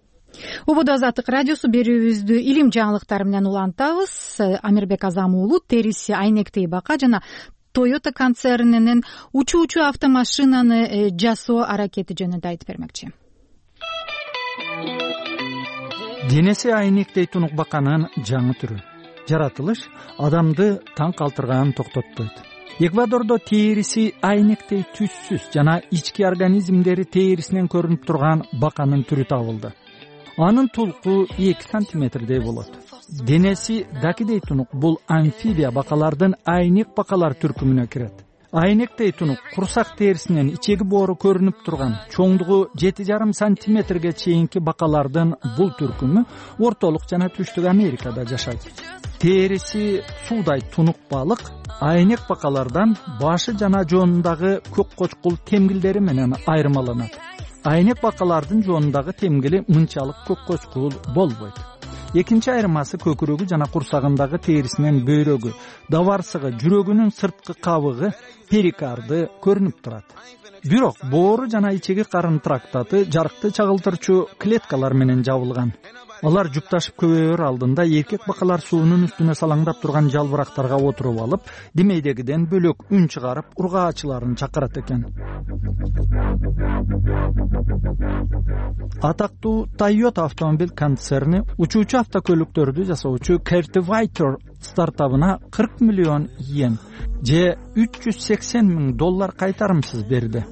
Убуду Азаттык радиосу берүүбүздү илим жаңылыктары менен улантабыз. Амирбек Азам уулу териси айнектей бака жана Toyota концернинин учуучу автомашинаны жасоо аракети жөнүндө айтып бермекчи. Денеси айнектей тунук баканын жаңы түрү. Жаратылыш адамды таң калтырганын токтотпойт. Эквадордо териси айнектей түссүз жана ички организмдери терисинен көрүнүп турган баканын түрү табылды. Анын тулку 2 сантиметрдей болот. Денеси дакидей тунук бул амфибия бакалардын айнек бакалар түркүмүнө кирет. Айнектей тунук курсак терисинен ичеги боору көрүнүп турган чоңдугу 7,5 сантиметрге чейинки бакалардын бул түркүмү ортолук жана түштүк Америкада жашайт. Териси суудай тунук балык айнек бакалардан башы жана жоонундагы көк кочкул темгилдери менен айырмаланат. Айнек бакалардын жоонундагы темгили мынчалык көк кочкул болбойт. Экинчи айырмасы көкүрөгү жана курсагындагы терисинен бөйрөгү, даварсыгы, жүрөгүнүн сырткы кабыгы, перикарды көрүнүп турат. Бирок боору жана ичеги карын трактаты жарыкты чагылтырчу клеткалар менен жабылган. Алар жупташып көбөйөр алдында эркек бакалар суунун үстүнө салаңдап турган жалбырактарга отуруп алып, демейдегиден бөлөк үн чыгарып, ургаачыларын чакырат экен. Атактуу Toyota автомобиль концерни учуучу автокөлүктөрдү жасоочу Cultivator стартабына 40 миллион йен же $380,000 кайтарымсыз берди.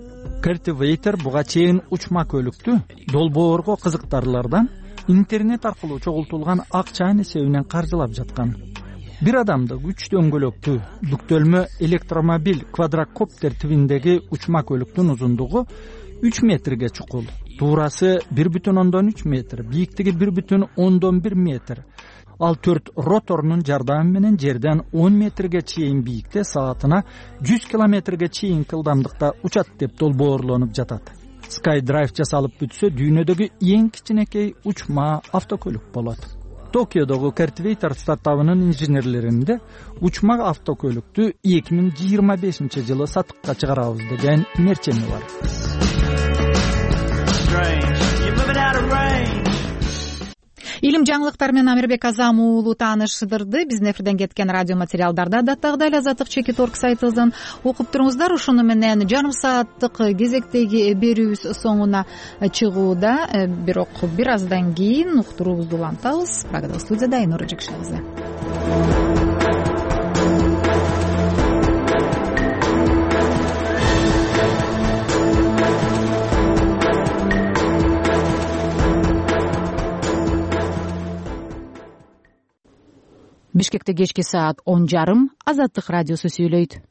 Cultivator буга чейин учма көлүктү долбоорго кызыктарлардан интернет аркылуу чогултулган акчанын эсебинен каржылап жаткан. Бир адамдык 3 дөңгөлөктүү бүктөлмө электромобиль квадрокоптер тибиндеги учма көлүктүн узундугу 3 метрге чукул, туурасы 1,3 метр, бийиктиги 1,1 метр. Ал 4 роторунун жардамы менен жерден 10 метрге чейин бийикте саатына 100 километрге чейин ылдамдыкта учат деп долбоорлонуп жатат. SkyDrive жасалып бүтсө, дүйнөдөгү эң кичинекей учма автокөлүк болот. Токиодогу Cultivator стартабынын инженерлеринде учма автокөлүктү 2025-жылы сатыкка чыгарабыз деген мерчеми бар. илим жаңылыктар менен Амирбек Азам уулу тааныштырды. Биздин эфирден кеткен радио материалдарды адаттагыдай эле Азаттык.org сайтыбыздан окуп туруңуздар. Ушуну менен жарым сааттык кезектеги берүүбүз соңуна чыгууда. Бирок бир аздан кийин уктуруубузду улантабыз. Прагада студияда Айнура Жекшебиз. Бишкекте кечки саат 10:30 Азаттык радиосу сүйлөйт.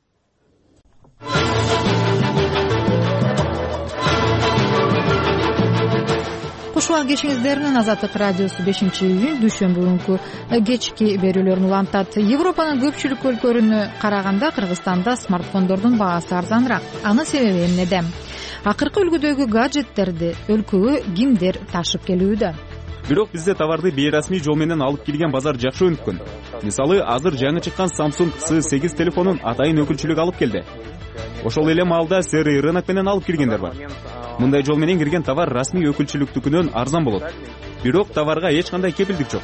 Куш убак кешиңиздер менен Азаттык радиосу 5-июнь дүйшөмбү күнкү кечки берүүлөрүн улантат. Европанын көпчүлүк өлкөлөрүнө караганда Кыргызстанда смартфондордун баасы арзаныраак. Анын себеби эмнеде? Акыркы үлгүдөгү гаджеттерди өлкөгө кимдер ташып келүүдө? Бирок бизде товарды бейрасмий жол менен алып келген базар жакшы өнүккөн. Мисалы, азыр жаңы чыккан Samsung S8 телефонун атайын өкүлчүлүк алып келди. Ошол эле маалда серый рынок менен алып келгендер бар. Мындай жол менен кирген товар расмий өкүлчүлүктүкүнөн арзан болот. Бирок товарга эч кандай кепилдик жок.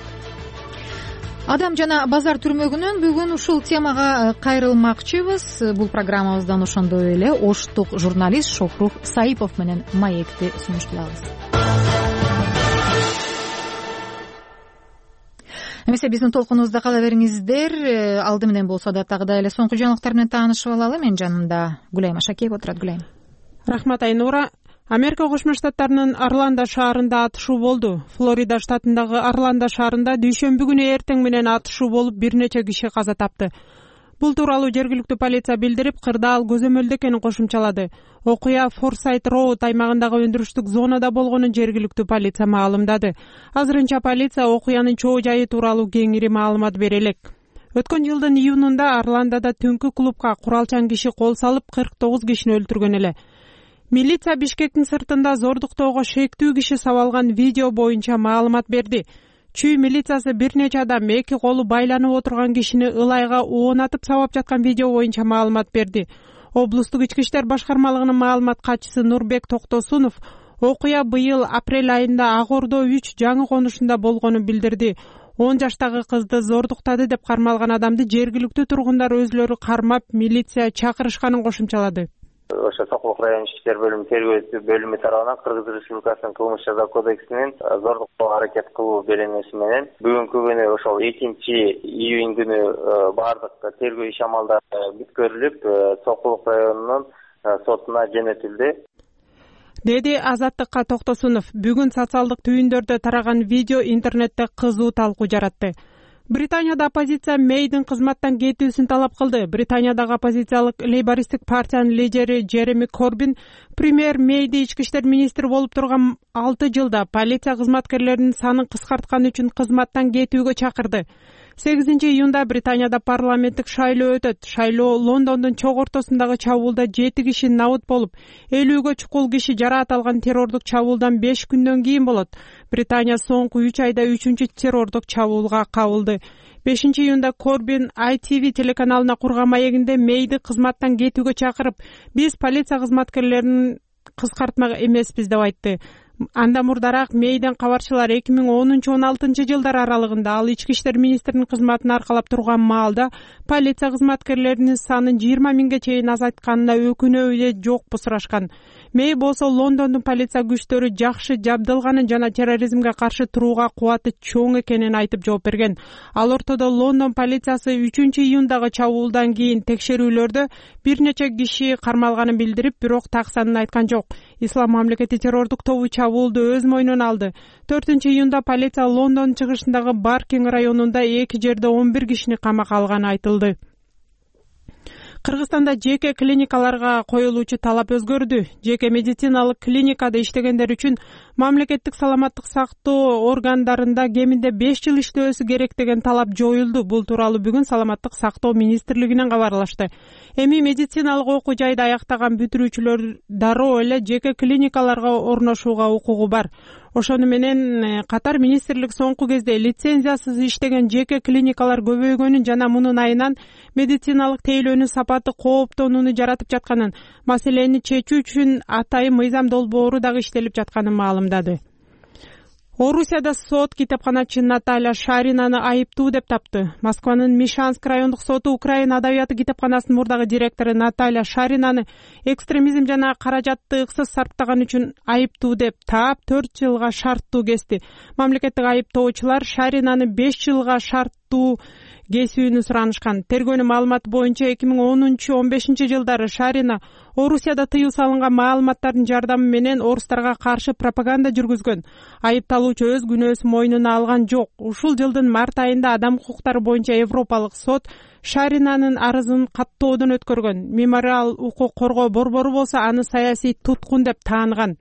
Адам жана базар түрмөгүнөн бүгүн ушул темага кайрылмакчыбыз. Бул программабыздан ошондой эле оштук журналист Шохрух Саипов менен маекти сунушталабыз. Эмесе биздин толкунубузда кала бериңиздер. Алды менен болсо адаттагыдай эле соңку жаңылыктар менен таанышып алалы. Менин жанымда Гүлайым Ашакеева отурат. Гүлайым. Рахмат Айнура. Америка Кошмо Штаттарынын Орландо шаарында атышуу болду. Флорида штатындагы Орландо шаарында дүйшөмбү күнү эртең менен атышуу болуп, бир нече киши каза тапты. Бул тууралуу жергиликтүү полиция билдирип, кырдаал көзөмөлдө экенин кошумчалады. Окуя Форсайт Роуд аймагындагы өндүрүштүк зонада болгонун жергиликтүү полиция маалымдады. Азырынча полиция окуянын чоо жайы тууралуу кеңири маалымат бере элек. Өткөн жылдын июнунда Орландода түнкү клубка куралчан киши кол салып 49 кишини өлтүргөн эле. Милиция Бишкектин сыртында зордуктоого шектүү киши сабалган видео боюнча маалымат берди. Чүй милициясы бир нече адам эки колу байланып отурган кишини ылайга оонатып сабап жаткан видео боюнча маалымат берди. Облустук ички иштер башкармалыгынын маалымат катчысы Нурбек Токтосунов окуя быйыл апрель айында Ак Ордо 3 жаңы конушунда болгонун билдирди. 10 жаштагы кызды зордуктады деп кармалган адамды жергиликтүү тургундар өзлөрү кармап, милиция чакырышканын кошумчалады. Ошо Сокулук район ички иштер бөлүмү тергөө бөлүмү тарабынан Кыргыз Республикасынын кылмыш жаза кодексинин зордуктоого аракет кылуу беренеси менен бүгүнкү күнү ошол 2-июнь күнү баардык тергөө иш амалдары бүткөрүлүп, Сокулук районунун сотуна жөнөтүлдү, деди Азаттыкка Токтосунов. Бүгүн социалдык түйүндөрдө тараган видео интернетте кызуу талкуу жаратты. Британияда оппозиция Мейдин кызматтан кетүүсүн талап кылды. Британиядагы оппозициялык лейбористтик партиянын лидери Джереми Корбин премьер Мейди ички иштер министри болуп турган 6 жылда полиция кызматкерлеринин санын кыскарткан үчүн кызматтан кетүүгө чакырды. 8-июнда Британияда парламенттик шайлоо өтөт. Шайлоо Лондондун чок ортосундагы чабуулда 7 киши набыт болуп, 50ге чукул киши жараат алган террордук чабуулдан 5 күндөн кийин болот. Британия соңку 3 айда 3-чү террордук чабуулга кабылды. 5-июнда Корбин ITV телеканалына курган маегинде Мейди кызматтан кетүүгө чакырып, биз полиция кызматкерлерин кыскартмак эмеспиз деп айтты. Андан мурдараак Мейден кабарчылар 2010-16 жылдар аралыгында ал ички иштер министринин кызматын аркалап турган маалда полиция кызматкерлеринин санын 20 миңге чейин азайтканына өкүнөбү же жокпу сурашкан. Мей болсо Лондондун полиция күчтөрү жакшы жабдылганын жана терроризмге каршы турууга кубаты чоң экенин айтып жооп берген. Ал ортодо Лондон полициясы 3-июндагы чабуулдан кийин текшерүүлөрдө бир нече киши кармалганын билдирип, бирок так санын айткан жок. Ислам мамлекети террордук тобу чабуулду өз мойнуна алды. 4-июнда полиция Лондон чыгышындагы Баркинг районунда эки жерде 11 кишини камакка алганы айтылды. Кыргызстанда жеке клиникаларга коюлуучу талап өзгөрдү. Жеке медициналык клиникада иштегендер үчүн мамлекеттик саламаттык сактоо органдарында кеминде 5 жыл иштөөсү керек деген талап жоюлду. Бул тууралуу бүгүн Саламаттык сактоо министрлигинен кабарлашты. Эми медициналык окуу жайды аяктаган бүтүрүүчүлөр дароо эле жеке клиникаларга орношууга укугу бар. Ошону менен катар министрлик соңку кезде лицензиясыз иштеген жеке клиникалар көбөйгөнүн жана мунун айынан медициналык тейлөөнүн сапаты кооптонууну жаратып жатканын, маселени чечүү үчүн атайын мыйзам долбоору дагы иштелип жатканын маалымдады. Орусияда сот китепканачы Наталья Шаринаны айыптуу деп тапты. Москванын Мишанск райондук соту Украина адабияты китепканасынын мурдагы директору Наталья Шаринаны экстремизм жана каражатты ыксыз сарптаган үчүн айыптуу деп таап 4 жылга шарттуу кести. Мамлекеттик айыптоочулар Шаринаны 5 жылга шарттуу кесүүнү суранышкан. Тергөөнүн маалыматы боюнча 2010-15 жылдары Шарина Орусияда тыюу салынган маалыматтардын жардамы менен орустарга каршы пропаганда жүргүзгөн. Айыпталуучу өз күнөөсүн мойнуна алган жок. Ушул жылдын март айында адам укуктары боюнча Европалык сот Шаринанын арызын каттоодон өткөргөн. Мемориал укук коргоо борбору болсо аны саясий туткун деп таанган.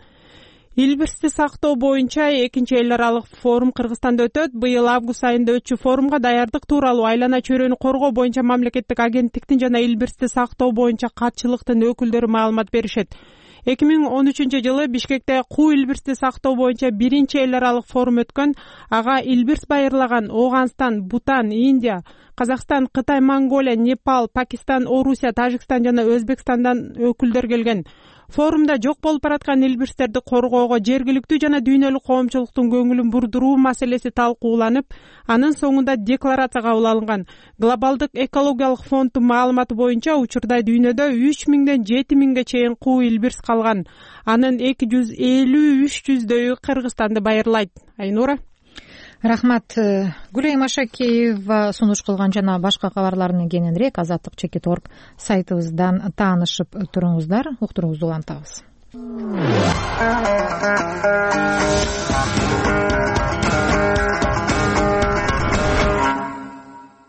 Илбирсти сактоо боюнча экинчи эл аралык форум Кыргызстанда өтөт. Быйыл август айында өтчү форумга даярдык тууралуу айлана чөйрөнү коргоо боюнча мамлекеттик агенттиктин жана илбирсти сактоо боюнча катчылыктын өкүлдөрү маалымат беришет. 2013 Бишкекте куу илбирсти сактоо боюнча биринчи эл аралык форум өткөн. Ага илбирс байырлаган Оганстан, Бутан, Индия, Казакстан, Кытай, Монголия, Непал, Пакистан, Орусия, Тажикстан жана Өзбекстандан өкүлдөр келген. Форумда жок болуп бараткан илбирстерди коргоого жергиликтүү жана дүйнөлүк коомчулуктун көңүлүн бурдуруу маселеси талкууланып, анын соңунда декларация кабыл алынган. Глобалдык экологиялык фонддун маалыматы боюнча учурда дүйнөдө 3000ден 7000ге чейин куу илбирс калган. Анын 250-300дөйү Кыргызстанды байырлайт. Айнура. Рахмат. Гүлайым Ашакеева сунуш кылган жана башка кабарларны кененирээк azatlyk.org сайтыбыздан таанышып туруңуздар. Уктуруңузду улантабыз.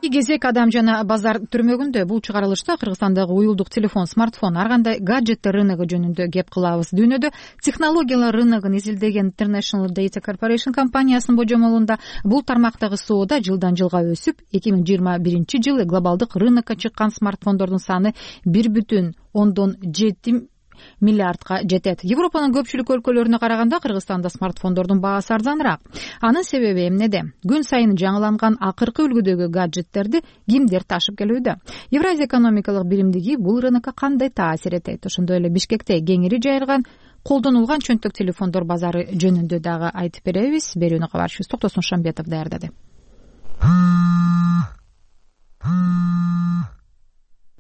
Кезек адам жана базар түрмөгүндө. Бул чыгарылышта Кыргызстандагы уюлдук телефон, смартфон, ар кандай гаджеттер рыногу жөнүндө кеп кылабыз. Дүйнөдө технологиялар рыногун изилдеген International Data Corporation компаниясынын божомолунда бул тармактагы соода жылдан жылга өсүп, 2021 жылы глобалдык рынокко чыккан смартфондордун саны 1,7 миллиардга жетет. Европанын көпчүлүк өлкөлөрүнө караганда Кыргызстанда смартфондордун баасы арзаныраак. Анын себеби эмнеде? Күн сайын жаңыланган акыркы үлгүдөгү гаджеттерди кимдер ташып келүүдө? Евразия экономикалык биримдиги бул рынокко кандай таасир этет? Ошондой эле Бишкекте кеңири жайылган колдонулган чөнтөк телефондор базары жөнүндө дагы айтып беребиз. Берүүнү кабарчыбыз Токтосун Шамбетов даярдады.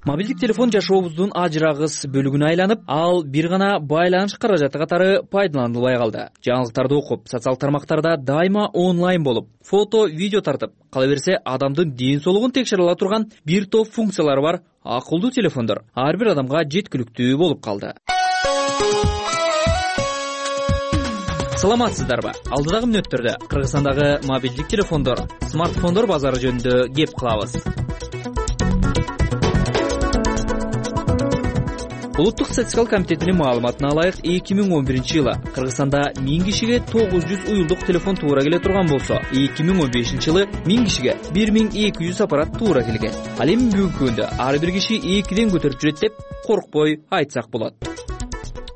Мобилдик телефон жашообуздун ажырагыс бөлүгүнө айланып, ал бир гана байланыш каражаты катары пайдаланылбай калды. Жаңылыктарды окуп, социалдык тармактарда дайыма онлайн болуп, фото, видео тартып, кала берсе адамдын ден соолугун текшере ала турган бир топ функциялары бар акылдуу телефондор ар бир адамга жеткиликтүү болуп калды. Саламатсыздарбы? Алдыдагы мүнөттөрдө Кыргызстандагы мобилдик телефондор, смартфондор базары жөнүндө кеп кылабыз. Улуттук статистикалык комитетинин маалыматына ылайык 2011 жылы Кыргызстанда 1000 кишиге 900 уюлдук телефон туура келе турган болсо, 2015 жылы 1000 кишиге 1200 аппарат туура келген. Ал эми бүгүнкү күндө ар бир киши 2ден көтөрүп жүрөт деп коркпой айтсак болот.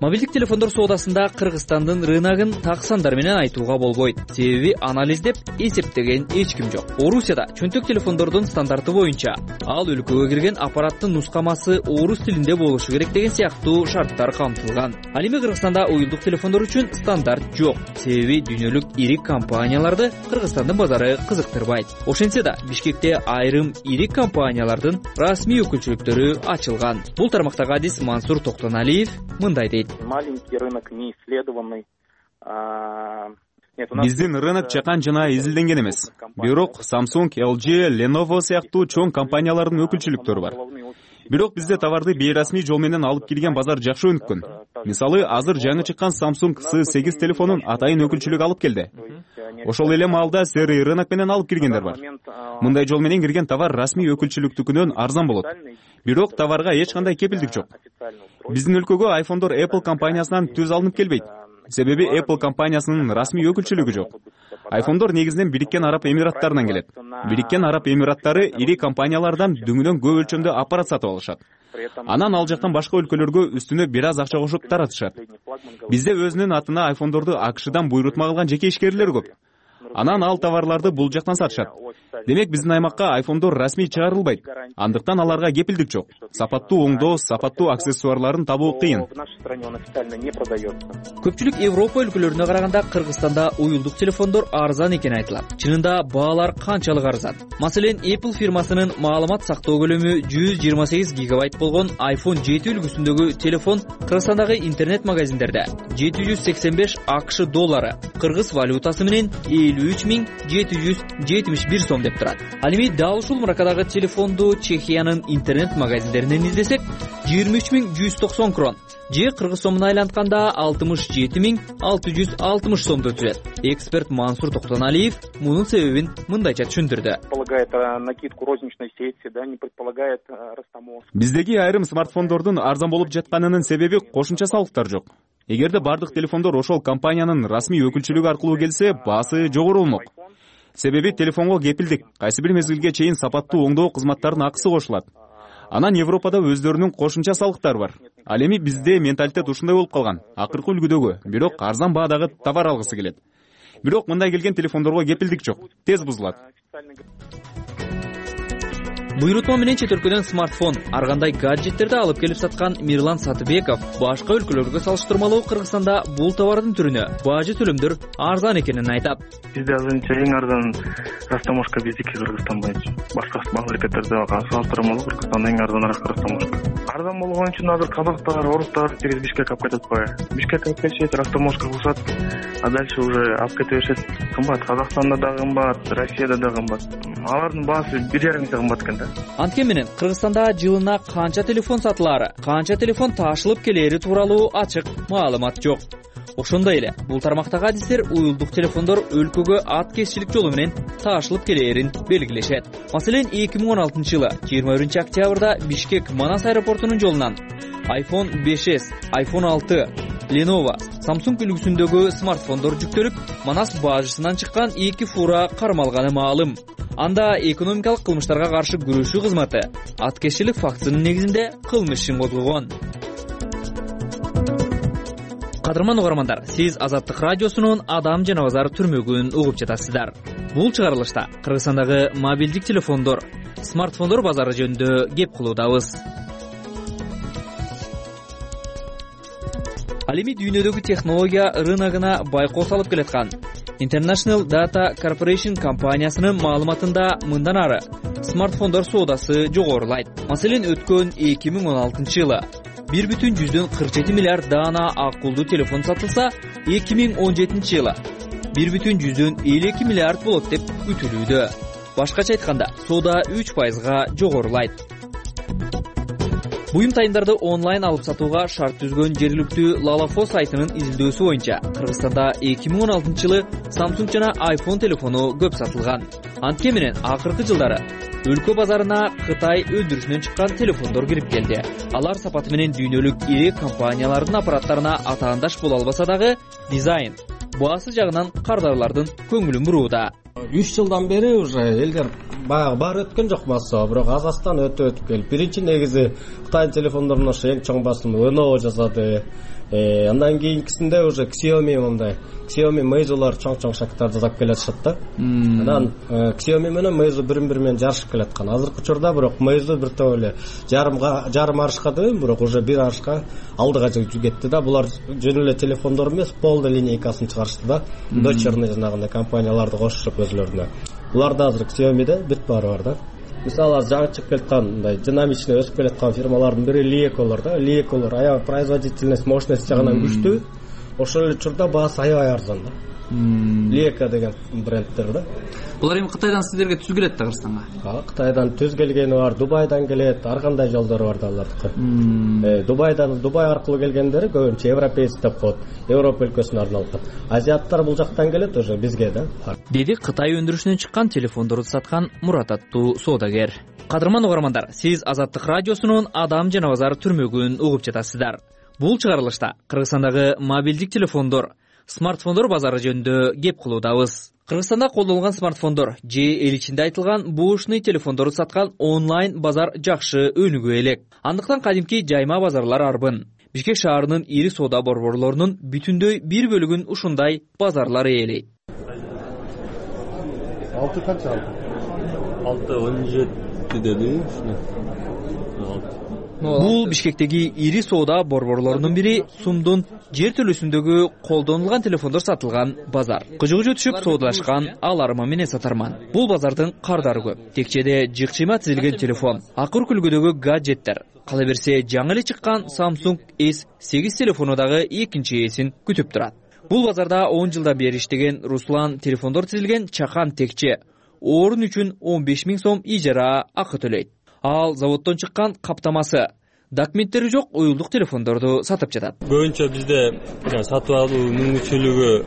Мобилдик телефондор соодасында Кыргызстандын рыногун так сандар менен айтууга болбойт. Себеби анализдеп эсептеген эч ким жок. Орусияда чөнтөк телефондордун стандарты боюнча ал өлкөгө кирген аппараттын нускамасы орус тилинде болушу керек деген сыяктуу шарттар камтылган. Ал эми Кыргызстанда уюлдук телефондор үчүн стандарт жок. Себеби дүйнөлүк ири компанияларды Кыргызстандын базары кызыктырбайт. Ошентсе да Бишкекте айрым ири компаниялардын расмий өкүлчүлүктөрү ачылган. Бул тармактагы адис Мансур Токтоналиев мындай дейт. Маленький рынок, не исследованный. Биздин рынок чакан жана изилденген эмес. Бирок Samsung, LG, Lenovo сыяктуу чоң компаниялардын өкүлчүлүктөрү бар. Бирок бизде товарды бейрасмий жол менен алып келген базар жакшы өнүккөн. Мисалы, азыр жаңы чыккан Samsung S8 телефонун атайын өкүлчүлүк алып келди. Ошол эле маалда серый рынок менен алып киргендер бар. Мындай жол менен кирген товар расмий өкүлчүлүктүкүнөн арзан болот. Бирок товарга эч кандай кепилдик жок. Биздин өлкөгө айфондор Apple компаниясынан түз алынып келбейт. Себеби Apple компаниясынын расмий өкүлчүлүгү жок. Айфондор негизинен Бириккен Араб Эмираттарынан келет. Бириккен Араб Эмираттары ири компаниялардан дүңүнөн көп өлчөмдө аппарат сатып алышат. Анан ал жактан башка өлкөлөргө үстүнө бир аз акча кошуп таратышат. Бизде өзүнүн атына айфондорду АКШдан буйрутма кылган жеке ишкерлер көп. анан ал товарларды бул жактан сатышат. Демек биздин аймакка айфондор расмий чыгарылбайт. Андыктан аларга кепилдик жок. Сапаттуу оңдоо, сапаттуу аксессуарларын табуу кыйын. Көпчүлүк Европа өлкөлөрүнө караганда Кыргызстанда уюлдук телефондор арзан экени айтылат. Чынында баалар канчалык арзан? Маселен, Apple фирмасынын маалымат сактоо көлөмү 128 гигабайт болгон iPhone 7 үлгүсүндөгү телефон Кыргызстандагы интернет магазиндерде 785 АКШ доллары, кыргыз валютасы менен 53.771 сом деп турат. Ал эми дал ушул маркадагы телефонду Чехиянын интернет магазиндеринен издесек 23.190 крон же кыргыз сомуна айлантканда 67.660 сомду түзөт. Эксперт Мансур Токтоналиев мунун себебин мындайча түшүндүрдү. Биздеги айрым смартфондордун арзан болуп жатканынын себеби кошумча салыктар жок. Эгерде бардык телефондор ошол компаниянын расмий өкүлчүлүгү аркылуу келсе, баасы жогору болмок. Себеби телефонго кепилдик, кайсы бир мезгилге чейин сапаттуу оңдоо кызматтарынын акысы кошулат. Анан Европада өздөрүнүн кошумча салыктары бар. Ал эми бизде менталитет ушундай болуп калган. Акыркы үлгүдөгү, бирок арзан баадагы товар алгысы келет. Бирок мындай келген телефондорго кепилдик жок, тез бузулат. Буйрутма менен чет өлкөдөн смартфон, ар кандай гаджеттерди алып келип саткан Мирлан Сатыбеков башка өлкөлөргө салыштырмалуу Кыргызстанда бул товардын түрүнө бажы төлөмдөр арзан экенин айтат. Бизде азырынча эң арзан растаможка биздики Кыргызстан боюнча. Башка мамлекеттерде салыштырмалуу Кыргызстанда эң арзаныраак растаможка. Арзан болгон үчүн азыр казактар, орустар тегиз Бишкек алып кетип атпайбы? Бишкек алып келишет, растаможка кылышат, а дальше уже алып кете беришет. Кымбат, Казакстанда да кымбат, Россияда да кымбат. Алардын баасы 1,5 эсе кымбат экен да. Антке менен Кыргызстанда жылына канча телефон сатылаары, канча телефон таашылып келери тууралуу ачык маалымат жок. Ошондой эле бул тармактагы адистер уюлдук телефондор өлкөгө ат кесчилик жолу менен таашылып келээрин белгилешет. Маселен, 2016-жылы 21-октябрда Бишкек Манас аэропортунун жолунан iPhone 5s, iPhone 6, Lenovo, Samsung үлгүсүндөгү смартфондор жүктөлүп, Манас бажысынан чыккан 2 фура кармалганы маалым. Анда экономикалык кылмыштарга каршы күрөшүү кызматы аткезчилик фактысынын негизинде кылмыш ишин козгогон. Кадырман угармандар, сиз Азаттык радиосунун Адам жана базар түрмөгүн угуп жатасыздар. Бул чыгарылышта Кыргызстандагы мобилдик телефондор, смартфондор базары жөнүндө кеп кылуудабыз. Ал эми дүйнөдөгү технология рыногуна байкоо салып келаткан International Data Corporation компаниясынын маалыматында мындан ары смартфондор соодасы жогорулайт. Маселен, өткөн 2016-жылы 1,47 миллиард даана акылдуу телефон сатылса, 2017-жылы 1,52 миллиард болот деп күтүлүүдө. Башкача айтканда, соода 3%га жогорулайт. Буюм тайымдарды онлайн алып сатууга шарт түзгөн жергиликтүү Lalafo сайтынын изилдөөсү боюнча Кыргызстанда 2016-жылы Samsung жана iPhone телефону көп сатылган. Антке менен акыркы жылдары өлкө базарына Кытай өндүрүшүнөн чыккан телефондор кирип келди. Алар сапаты менен дүйнөлүк ири компаниялардын аппараттарына атаандаш боло албаса дагы, дизайн, баасы жагынан кардарлардын көңүлүн бурууда. 3 жылдан бери уже элдер баягы баары өткөн жок басуу, бирок азастан өтүп келип. Биринчи негизи Кытай телефондорунун ошо эң чоң басымы Lenovo жасады. Андан кийинкисинде уже Xiaomi мындай. Xiaomi Meizu'лар чоң шакттарды жасап келатышат да. Анан Xiaomi менен Meizu бири-бири менен жарышып келаткан. Азыркы учурда бирок Meizu бир топ эле жарым арышка дебейм, бирок уже бир арышка алдыга кетти да. Булар жөн эле телефондор эмес, полный линейкасын чыгарышты да. Дочерный жанагындай компанияларды кошушуп өзлөрүнө. Буларда азыр Xiaomi'де бир пары бар да. Мисалы, жаңы чыгып келаткан мындай динамичный өсүп келаткан фирмалардын бири Lieko'лор да. Lieko'лор аябай производительность, мощность жагынан күчтүү. Ошол эле учурда баасы аябай арзан да. Lieko деген брендтер да. Булар эми Кытайдан сиздерге түз келет да Кыргызстанга? Кытайдан түз келгени бар, Дубайдан келет, ар кандай жолдору бар да алардыкы. Дубай аркылуу келгендери көбүнчө европеец деп коет, Европа өлкөсүнө арналган. Азиаттар бул жактан келет уже бизге да. Деди Кытай өндүрүшүнөн чыккан телефондорду саткан Мурат аттуу соодагер. Кадырман угармандар, сиз Азаттык радиосунун Адам жана базар түрмөгүн угуп жатасыздар. Бул чыгарылышта Кыргызстандагы мобилдик телефондор, смартфондор базары жөнүндө кеп кылуудабыз. Кыргызстанда колдонулган смартфондор же эл ичинде айтылган буушный телефондорду саткан онлайн базар жакшы өнүгө элек. Андыктан кадимки жайма базарлар арбын. Бишкек шаарынын ири соода борборлорунун бүтүндөй бир бөлүгүн ушундай базарлар ээлейт. алты канча? 6-17 деди ушуну. Бул Бишкектеги ири соода борборлорунун бири сумдун жер төлөсүндөгү колдонулган телефондор сатылган базар. Кыжыгы түшүп соодалашкан аларма менен сатарман. Бул базардын кардары көп. Текчеде жыкчыйма тизилген телефон, акыр күлгөдөгү гаджеттер. Кала берсе жаңы эле чыккан Samsung S8 телефону дагы экинчи ээсин күтүп турат. Бул базарда 10 жылдан бери иштеген Руслан телефондор тизилген чакан текче орун үчүн 15 000 сом ижара акы төлөйт. Ал заводдон чыккан каптамасы, документтери жок уюлдук телефондорду сатып жатат. Көбүнчө бизде сатып алуу мүмкүнчүлүгү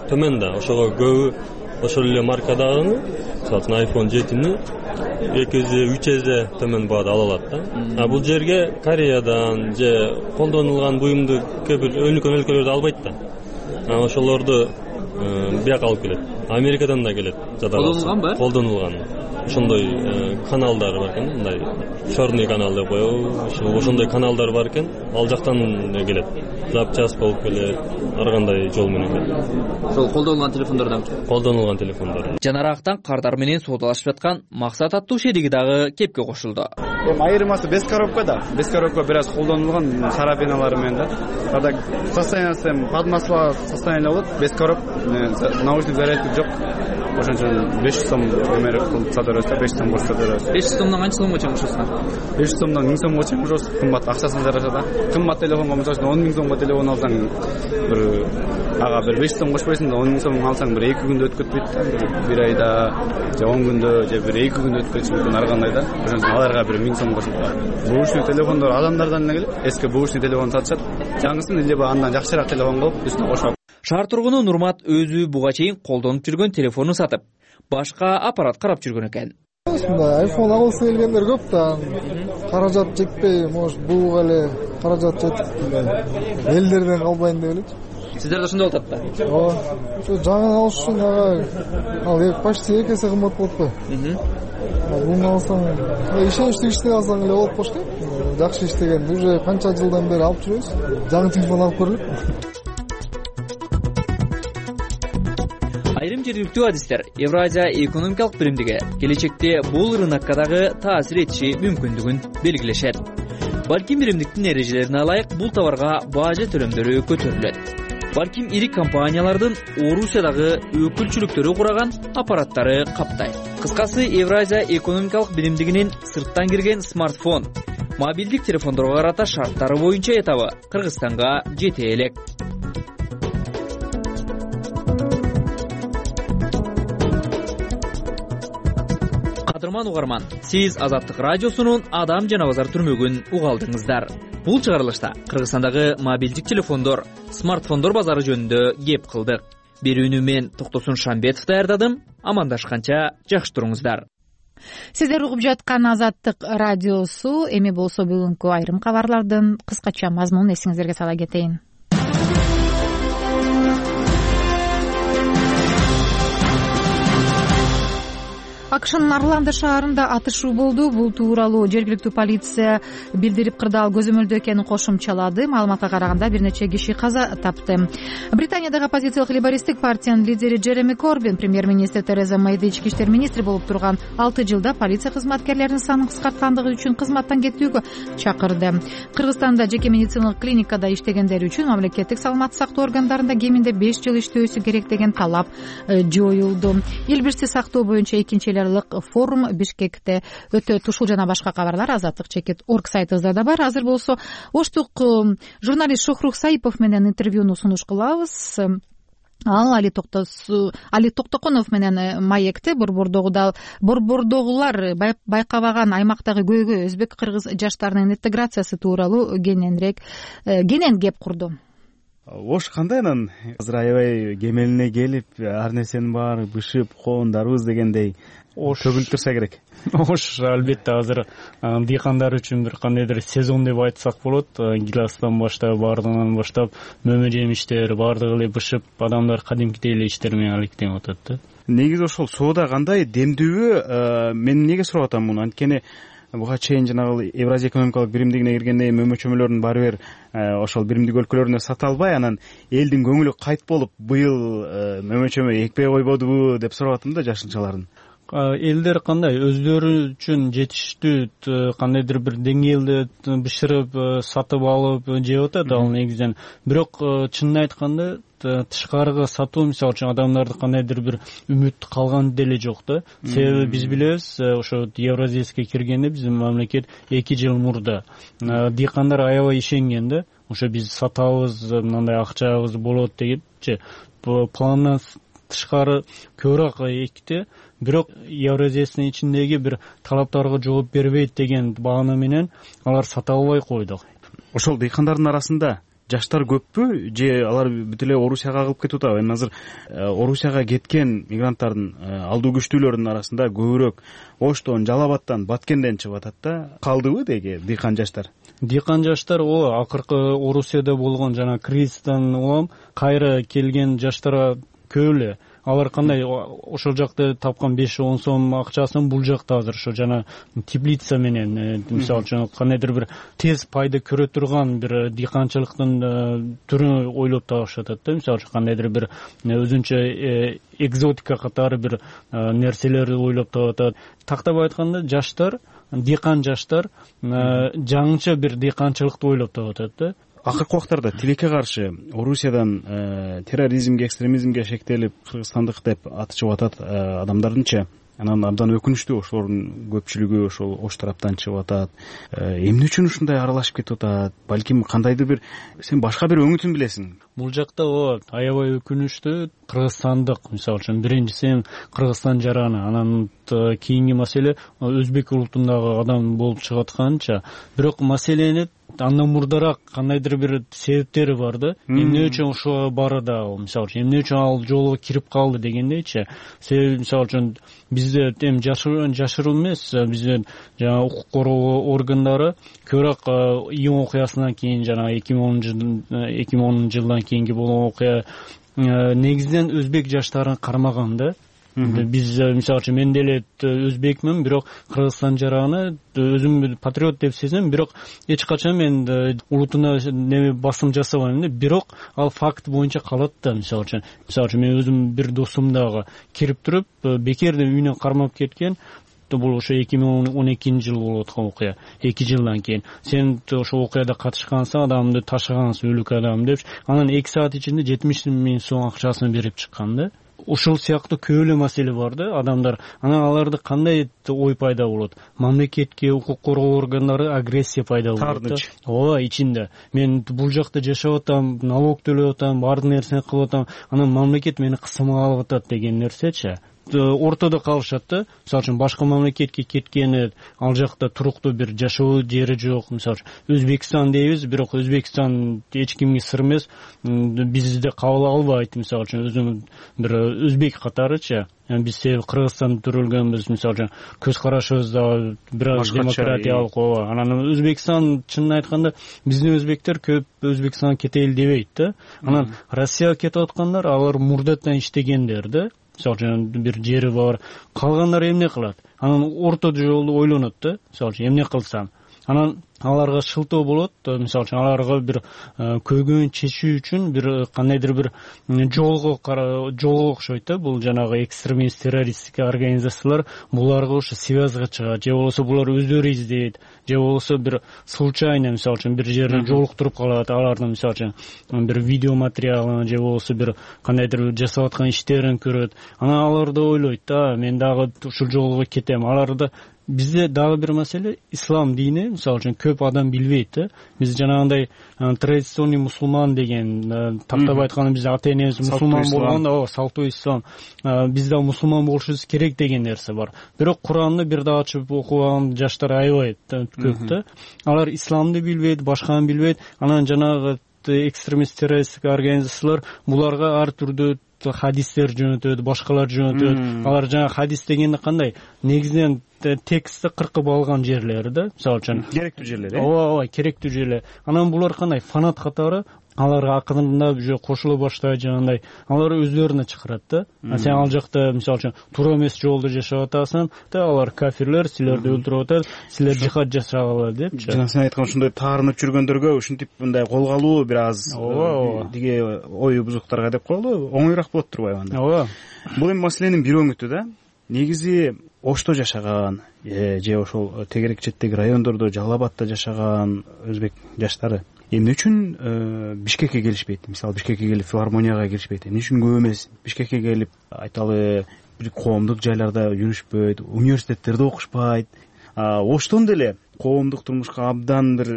төмөн да, ошого көбү ошол эле маркадагы, мисалы iPhone 7-ни 2-3 эсе төмөн баада ала алат да. А бул жерге Кореядан же колдонулган буюмду кээ бир өлкө өлкөлөрдө албайт да. Ошолорду бияка алып келет. Америкадан да келет. Колдонулганбы? Колдонулган. Ошондой каналдар бар экен, мындай черный канал деп коебу. Ошондой каналдар бар экен, ал жактан келет. Запчасть болуп келет, ар кандай жол менен келет. Ошол колдонулган телефондордон. Колдонулган телефондор. Жанарактан кардар менен соодалашып жаткан Максат аттуу шериги дагы кепке кошулду. Айырмасы без коробка да. Без коробка бир аз колдонулган карабиналары менен да. Када состояниясы подмасло состояние болот, без коробка, наушник зарядка жок. Ошончон 500 сом өмөр кылып сата берет, 500 сом сата берет. 500 сомдон канча сомго чейин кошосуңар? 500 сомдон 1000 сомго чейин кошосуз. Кымбат акчасын жараша да. Кымбат телефонго мисалы 10 000 сомго телефон алсаң, бир ага бир 500 сом кошпойсуң да 10 000 сом алсаң бир 2 күндө өтүп кетпейт да. Бир айда же 10 күндө же бир 2 күндө өтүп кетиши мүмкүн ар кандай да. Ошондон аларга бир 1000 сом кошуп коет. Бушный телефондор адамдардан эле келет. Эски бушный телефон сатышат. Жаңысын либо андан жакшыраак телефон кылып үстүнө кошуп. Шаар тургуну Нурмат өзү буга чейин колдонуп жүргөн телефонун сатып, башка аппарат карап жүргөн экен. Ушундай iPhone алгысы келгендер көп да. Каражат жетпей, может, буга эле каражат жетип элдерден калбайын деп элечи. Сиздерде ошондой болуп атат да? Ооба. Ошо жаңы алыш үчүн ал почти 2 эсе кымбат болуп кой. Буну алсаң, ишеничтүү иштей алсаң эле болуп коштойт. Жакшы иштеген, уже канча жылдан бери алып жүрөбүз. Жаңы телефон алып көрөлүк. Айрым жергиликтүү адистер Евразия экономикалык биримдиги келечекте бул рынокко дагы таасир этиши мүмкүндүгүн белгилешет. Балким биримдиктин эрежелерине ылайык бул товарга бажа төлөмдөрү көтөрүлөт. Балким ири компаниялардын Орусиядагы өкүлчүлүктөрү кураган аппараттары каптайт. Кыскасы, Евразия экономикалык биримдигинин сырттан кирген смартфон, мобилдик телефондорго карата шарттары боюнча этабы Кыргызстанга жете элек. Кадырман угарман, сиз Азаттык радиосунун Адам жана базар түрмөгүн угалдыңыздар. Бул чыгарылышта Кыргызстандагы мобилдик телефондор, смартфондор базары жөнүндө кеп кылдык. Берүүнү мен Токтосун Шамбетов даярдадым. Амандашканча жакшы туруңуздар. Сиздер угуп жаткан Азаттык радиосу. Эми болсо бүгүнкү айрым кабарлардын кыскача мазмунун эсиңиздерге сала кетейин. АКШнын Орландо шаарында атышуу болду. Бул тууралуу жергиликтүү полиция билдирип, кырдаал көзөмөлдөө экенин кошумчалады. Маалыматка караганда бир нече киши каза тапты. Британиядагы оппозициялык лейбористтик партиянын лидери Джереми Корбин премьер-министр Тереза Мэйди ички иштер министри болуп турган 6 жылда полиция кызматкерлеринин санын кыскарткандыгы үчүн кызматтан кетүүгө чакырды. Кыргызстанда жеке медициналык клиникада иштегендер үчүн мамлекеттик саламаттык сактоо органдарында кеминде 5 жыл иштөөсү керек деген талап жоюлду. Эл бирчи сактоо боюнча экинчи форум Бишкекте өтөт. Ушул жана башка кабарлар Азаттык.org сайтыбызда да бар. Азыр болсо оштук журналист Шохрух Саипов менен интервьюну сунуш кылабыз. Ал Али Токтоконов менен маекте борбордогулар байкабаган аймактагы көйгөй өзбек кыргыз жаштарынын интеграциясы тууралуу кенен кеп курду. Ош кандай анан азыр аябай кемелине келип, ар нерсенин баары бышып, коондарыбыз дегендей төгүлүп турса керек. Ош албетте азыр дыйкандар үчүн бир кандайдыр сезон деп айтсак болот. Гиластан баштап, баардыгынан баштап мөмө жемиштер баардыгы эле бышып, адамдар кадимкидей эле иштер менен алектенип атат да. Негизи ошол соода кандай, демдүүбү? Мен эмнеге сурап атам муну? Анткени буга чейин жанагы Евразия экономикалык биримдигине киргенде мөмө чөмөлөрдүн баары бир ошол биримдик өлкөлөрүнө сата албай, анан элдин көңүлү кайт болуп, быйыл мөмө чөмө экпей койбодубу деп сурап атам да жашылчалардын. элдер кандай өздөрү үчүн жетиштүү кандайдыр бир деңгээлде бышырып сатып алып жеп атат ал негизинен. Бирок чынын айтканда тышкарыга сатуу мисалы үчүн адамдарды кандайдыр бир үмүт калган деле жок да. Себеби биз билебиз, ошо Евразийскке киргенде биздин мамлекет 2 жыл мурда дыйкандар аябай ишенген да. Ошо биз сатабыз, мындай акчабыз болот дегенчи. Пландан тышкары көбүрөөк экти. Бирок Евразиянын ичиндеги бир талаптарга жооп бербейт деген баана менен алар сата албай койду. Ошол дыйкандардын арасында жаштар көппү же алар бүт эле Орусияга агылып кетип атабы? Эми азыр Орусияга кеткен мигранттардын алдуу күчтүүлөрүнүн арасында көбүрөөк Оштон, Жалал Абадтан, Баткенден чыгып атат да. Калдыбы деги дыйкан жаштар? Дыйкан жаштар акыркы Орусияда болгон жана кризистен улам кайра келген жаштар көп эле. Алар кандай ошол жакта тапкан 5-10 сом акчасын бул жакта азыр ошо жана теплица менен мисалы үчүн кандайдыр бир тез пайда көрө турган бир дыйканчылыктын түрүн ойлоп табышат да. Мисалы үчүн кандайдыр бир өзүнчө экзотика катары бир нерселерди ойлоп табат. Тактап айтканда жаштар, дыйкан жаштар жаңыча бир дыйканчылыкты ойлоп табат да. Акыркы убактарда тилекке каршы Орусиядан терроризмге, экстремизмге шектелип кыргызстандык деп атышып атат адамдардынча. Анан абдан өкүнүчтүү ошолордун көпчүлүгү ошол Ош тараптан чыгып атат. Эмне үчүн ушундай аралашып кетип атат? Балким кандайдыр бир сен башка бир өңүтүн билесиң. Бул жакта аябай өкүнүчтүү кыргызстандык, мисалы үчүн биринчиси Кыргызстан жараны, анан кийинки маселе өзбек улутундагы адам болуп чыгып атканча. Бирок маселени андан мурдараак кандайдыр бир себептери бар да. Эмне үчүн ошого барда, мисалы үчүн эмне үчүн ал жолго кирип калды дегендейчи. Себеби мисалы үчүн бизде эми жашыруу эмес, бизде жана укук коргоо органдары көбүрөөк июнь окуясынан кийин жана 2010 жылдан кийинки болгон окуя негизинен өзбек жаштарын кармаган да. Биз мисалы үчүн мен деле өзбекмин, бирок Кыргызстан жараны өзүм патриот деп сезем, бирок эч качан мен улутуна басым жасабайм да. Бирок ал факт боюнча калат да. Мисалы үчүн мен өзүм бир досум дагы кирип туруп бекерден үйүнөн кармап кеткен. Бул ошо 2012 жыл болуп аткан окуя. 2 жылдан кийин сен ошо окуяда катышкансың, адамды ташыгансың, өлүк адам деп, анан 2 саат ичинде 70 000 сом акчасын берип чыккан да. Ошол сыяктуу көп эле маселе бар да. Адамдар анан аларды кандай ой пайда болот? Мамлекетке, укук коргоо органдары агрессия пайда болот да. Ооба, ичинде. Мен бул жакта жашап атам, налог төлөп атам, баардык нерсени кылып атам, анан мамлекет мени кысымга алып атат деген нерсечи. Ортодо калышат да. Мисалы үчүн башка мамлекетке кеткени, ал жакта туруктуу бир жашоо жери жок. Мисалы үчүн Өзбекстан дейбиз, бирок Өзбекстан эч кимге сыр эмес. Бизди кабыл албайт, мисалы үчүн өзүм бир өзбек катарычы. Биз Кыргызстанда төрөлгөнбүз, мисалы үчүн көз карашыбыз да бир аз демократиялык. Анан Өзбекстан чынын айтканда биздин өзбектер көп Өзбекстанга кетели дебейт да. Анан Россияга кетип аткандар алар мурдатан иштегендер да. Мисалы үчүн бир жери бар. Калгандар эмне кылат? Анан орто жолду ойлонот да. Мисалы үчүн эмне кылсам? Анан аларга шылтоо болот. Мисалы үчүн аларга бир көйгөйүн чечүү үчүн бир кандайдыр бир жолго окшойт да. Бул жанагы экстремист террористтик организациялар буларга ошо связга чыгат, же болбосо булар өздөрү издейт, же болбосо бир случайно мисалы үчүн бир жерде жолуктуруп калат, алардын мисалы үчүн бир видео материалын же болбосо бир кандайдыр жасап аткан иштерин көрөт. Анан алар да ойлойт да, мен дагы ушул жолго кетем. Аларда бизде дагы бир маселе ислам дини, мисалы үчүн көп адам билбейт да. Биз жанагындай традиционный мусулман деген, тактап айтканда биз ата энебиз мусулман болгондо, салтуу ислам, биз да мусулман болушубуз керек деген нерсе бар. Бирок Куранды бир да ачып окуган жаштар аябай көп да. Алар исламды билбейт, башканы билбейт. Анан жанагы экстремист террористтик организациялар буларга ар түрдүү хадистер жөнөтөт, башкалар жөнөтөт. Алар жана хадис дегенде кандай? Негизинен текстти кыркып алган жерлери да. Мисалы үчүн керектүү жерлер. Ооба, керектүү жерлер. Анан булар кандай? Фанат катары аларга акырында уже кошула баштайт жанагындай. Алар өздөрүнө чакырат да. Сен ал жакта мисалы үчүн туура эмес жолдо жашап атасың, алар кафирлер, силерди өлтүрүп атат, силер жихад жасагыла депчи. Жана сен айткан ушундай таарынып жүргөндөргө ушинтип мындай кол алуу бир аз диге ой бузуктарга деп коелу, оңоюраак болот турбайбы анда? Ооба. Бул эми маселенин бир өңүтү да. негизи Ошто жашаган же ошол тегерек четтеги райондордо, Жалал Абадта жашаган өзбек жаштары эмне үчүн Бишкекке келишпейт? Мисалы Бишкекке келип филармонияга киришпейт? Эмне үчүн көп эмес Бишкекке келип айталы бир коомдук жайларда жүрүшпөйт, университеттерде окушпайт? Оштон деле коомдук турмушка абдан бир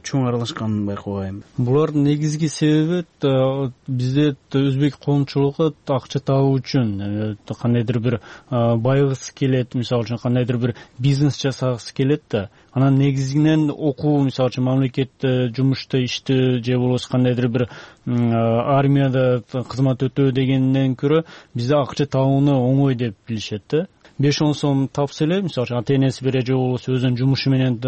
чоң аралашканын байкабайм. Булардын негизги себеби бизде өзбек коомчулугу акча табуу үчүн кандайдыр бир байгысы келет, мисалы үчүн кандайдыр бир бизнес жасагысы келет да. Анан негизинен окуу, мисалы үчүн мамлекетте жумушта иштөө же болбосо кандайдыр бир армияда кызмат өтөө дегенден көрө бизде акча табууну оңой деп билишет да. 5-10 сом тапса эле, мисалы ата энеси бере же болбосо өзүнүн жумушу менен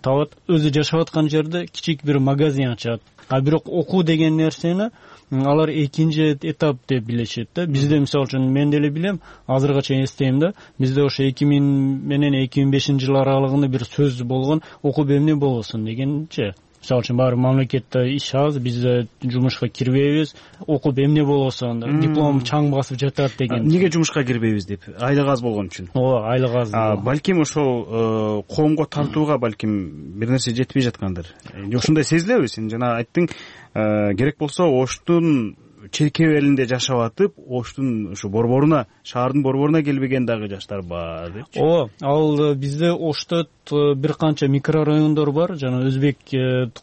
табат, өзү жашап аткан жерде кичик бир магазин ачат. Бирок окуу деген нерсени алар экинчи этап деп билишет да. Бизде мисалы үчүн мен деле билем, азыркыга чейин эстейм да, бизде ошо 2000 менен 2005-жылы аралыгында бир сөз болгон, окуп эмне болосун дегенчи. Мисалы үчүн баары мамлекетте иш аз, биз жумушка кирбейбиз, окуп эмне болосун, диплом чаң басып жатат деген. Эмнеге жумушка кирбейбиз деп? Айлык аз болгон үчүн. Ооба, айлык аз. Балким ошол коомго тартууга балким бир нерсе жетпей жаткандыр. Ошондой сезилеби? Сен жана айттың, керек болсо Оштун черкебелинде жашап атып, Оштун ушу борборуна, шаардын борборуна келбеген дагы жаштар бар депчи. Ооба, ал бизде Ошто бир канча микрорайондор бар, жана өзбек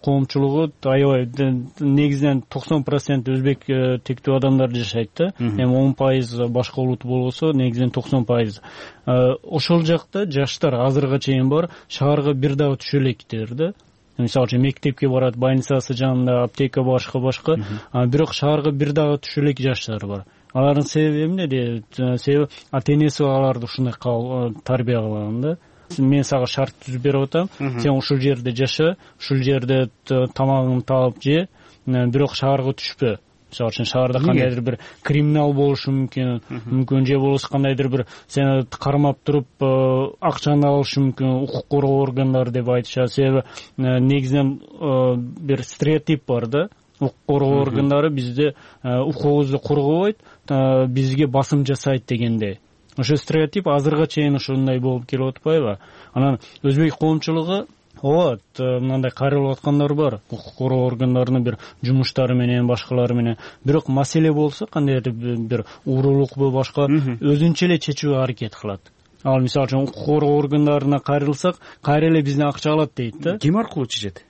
коомчулугу аябай негизинен 90% өзбек тектүү адамдар жашайт да. Эми 10% башка улут болбосо, негизинен 90%. Ошол жакта жаштар азыркыга чейин бар, шаарга бир дагы түшө элекдер да. Мисалы үчүн мектепке барат, больницасы жанында, аптека башка. Бирок шаарга бир дагы түшө элек жаштар бар. Алардын себеби эмне? Себеби ата энеси аларды ушундай тарбия кылган да. Мен сага шарт түзүп берип атам, сен ушул жерде жаша, ушул жерде тамагыңды таап же, бирок шаарга түшпө. Мисалы үчүн шаарда кандайдыр бир криминал болушу мүмкүн же болбосо кандайдыр бир сени кармап туруп акчаны алышы мүмкүн, укук коргоо органдары деп айтышат. Себеби негизинен бир стереотип бар да. Укук коргоо органдары бизде укугубузду коргобойт, бизге басым жасайт дегендей. Ошо стереотип азыркыга чейин ошондой болуп келип атпайбы? Анан өзбек коомчулугу мындай кайрылып аткандар бар, укук коргоо органдарынын бир жумуштары менен, башкалары менен. Бирок маселе болсо, кандайдыр бир уурулукпу башка өзүнчө эле чечүүгө аракет кылат. Ал мисалы үчүн укук коргоо органдарына кайрылсак, кайра эле бизден акча алат дейт да. Ким аркылуу чечет?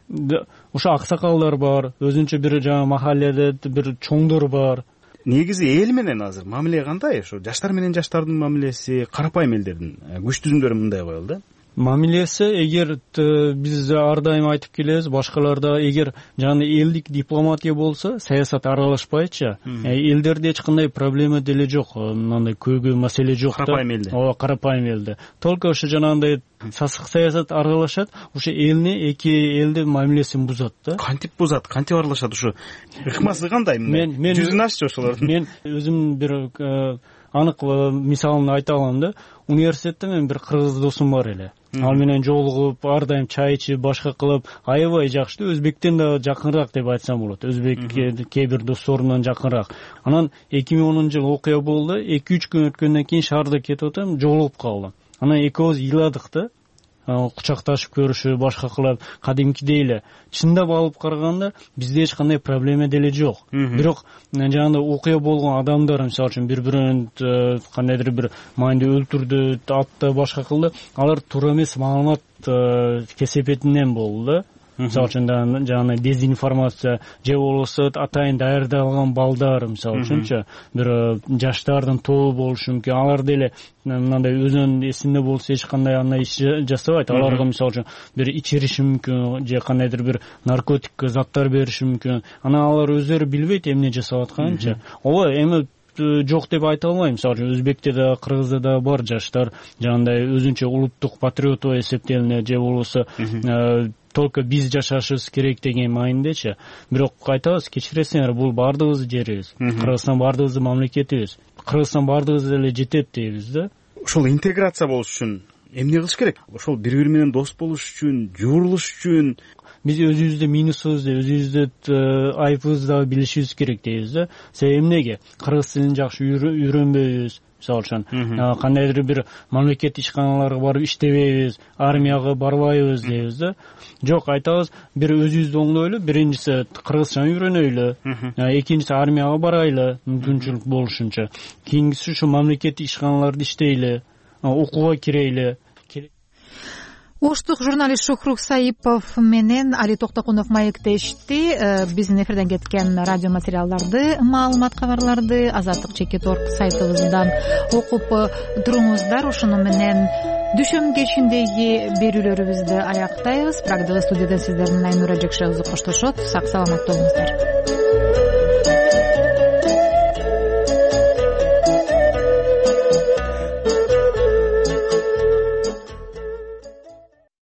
Ошо аксакалдар бар, өзүнчө бир жана махалледе бир чоңдор бар. Негизи эл менен азыр мамиле кандай? Ошо жаштар менен жаштардын мамилеси, карапайым элдердин күч түзүмдөрү мындай коелу да. Мамилеси, эгер биз ар дайым айтып келебиз, башкаларда эгер жана элдик дипломатия болсо, саясат аралашпайчы, элдерде эч кандай проблема деле жок, мындай көйгөй маселе жок да. Карапайым элде. Ооба, карапайым элде. Только ошо жанагындай сасык саясат аралашат, ошо элни эки элдин мамилесин бузат да. Кантип бузат, кантип аралашат ошо? Ыкмасы кандай? Мен жүзүн аччы ошолордун. Мен өзүм бир анык мисалын айта алам да. Университетте мен бир кыргыз досум бар эле. Ал менен жолугуп, ар дайым чай ичип, башка кылып, аябай жакшы. Өзбектен да жакынраак деп айтсам болот. Өзбекке кээ бир досторумдан жакынраак. Анан 2010-жылы окуя болду. 2-3 күн өткөндөн кийин шаарда кетип атам, жолугуп калдым. Анан экөөбүз ыйладык да. Кучакташып көрүшүп, башка кылып, кадимкидей эле. Чындап алып караганда бизде эч кандай проблема деле жок. Бирок жанагындай окуя болгон адамдар, мисалы үчүн бири-бирин кандайдыр бир маанилде өлтүрдү, атты, башка кылды. Алар туура эмес маалымат кесепетинен болду да. Мисалы үчүн жанагындай дезинформация же болбосо атайын даярдалган балдар, мисалы үчүнчү бир жаштардын тобу болушу мүмкүн. Алар деле мындай өзүнүн эсинде болсо эч кандай андай иш жасабайт. Аларга мисалы үчүн бир ичириши мүмкүн же кандайдыр бир наркотик заттар бериши мүмкүн. Анан алар өздөрү билбейт эмне жасап атканынчы. Ооба, эми жок деп айта албайм. Мисалы үчүн Өзбекте да, Кыргызда да бар жаштар жанагындай өзүнчө улуттук патриот эсептелинет же болбосо только биз жашашыбыз керек деген маанидечи. Бирок айтабыз, кечиресиңер, бул баардыгыбыздын жерибиз. Кыргызстан баардыгыбыздын мамлекетибиз. Кыргызстан баардыгыбыз эле жетет дейбиз да. Ошол интеграция болуш үчүн эмне кылыш керек? Ошол бири-бири менен дос болуш үчүн, жуурулуш үчүн биз өзүбүздө минусубузду, өзүбүздө айыбыбызды дагы билишибиз керек дейбиз да. Себеби эмнеге? Кыргыз тилин жакшы үйрөнбөйбүз. мисалы үчүн кандайдыр бир мамлекеттик ишканаларга барып иштебейбиз, армияга барбайбыз дейбиз да. Жок, айтабыз, бир өзүбүздү оңдойлу, биринчиси кыргызча үйрөнөйлү, экинчиси армияга барайлы мүмкүнчүлүк болушунча, кийинкиси ушу мамлекеттик ишканаларда иштейли, окууга кирейли. Оштук журналист Шухрук Саипов менен Али Токтокунов маектешти. Биздин эфирден кеткен радио материалдарды, маалымат кабарларды Азаттык.org сайтыбыздан окуп туруңуздар. Ошону менен дүйшөмбү кечиндеги берүүлөрүбүздү аяктайбыз. Прагдагы студияда сиздер менен Айнура Жекшебиз коштошот. Сак саламат болуңуздар.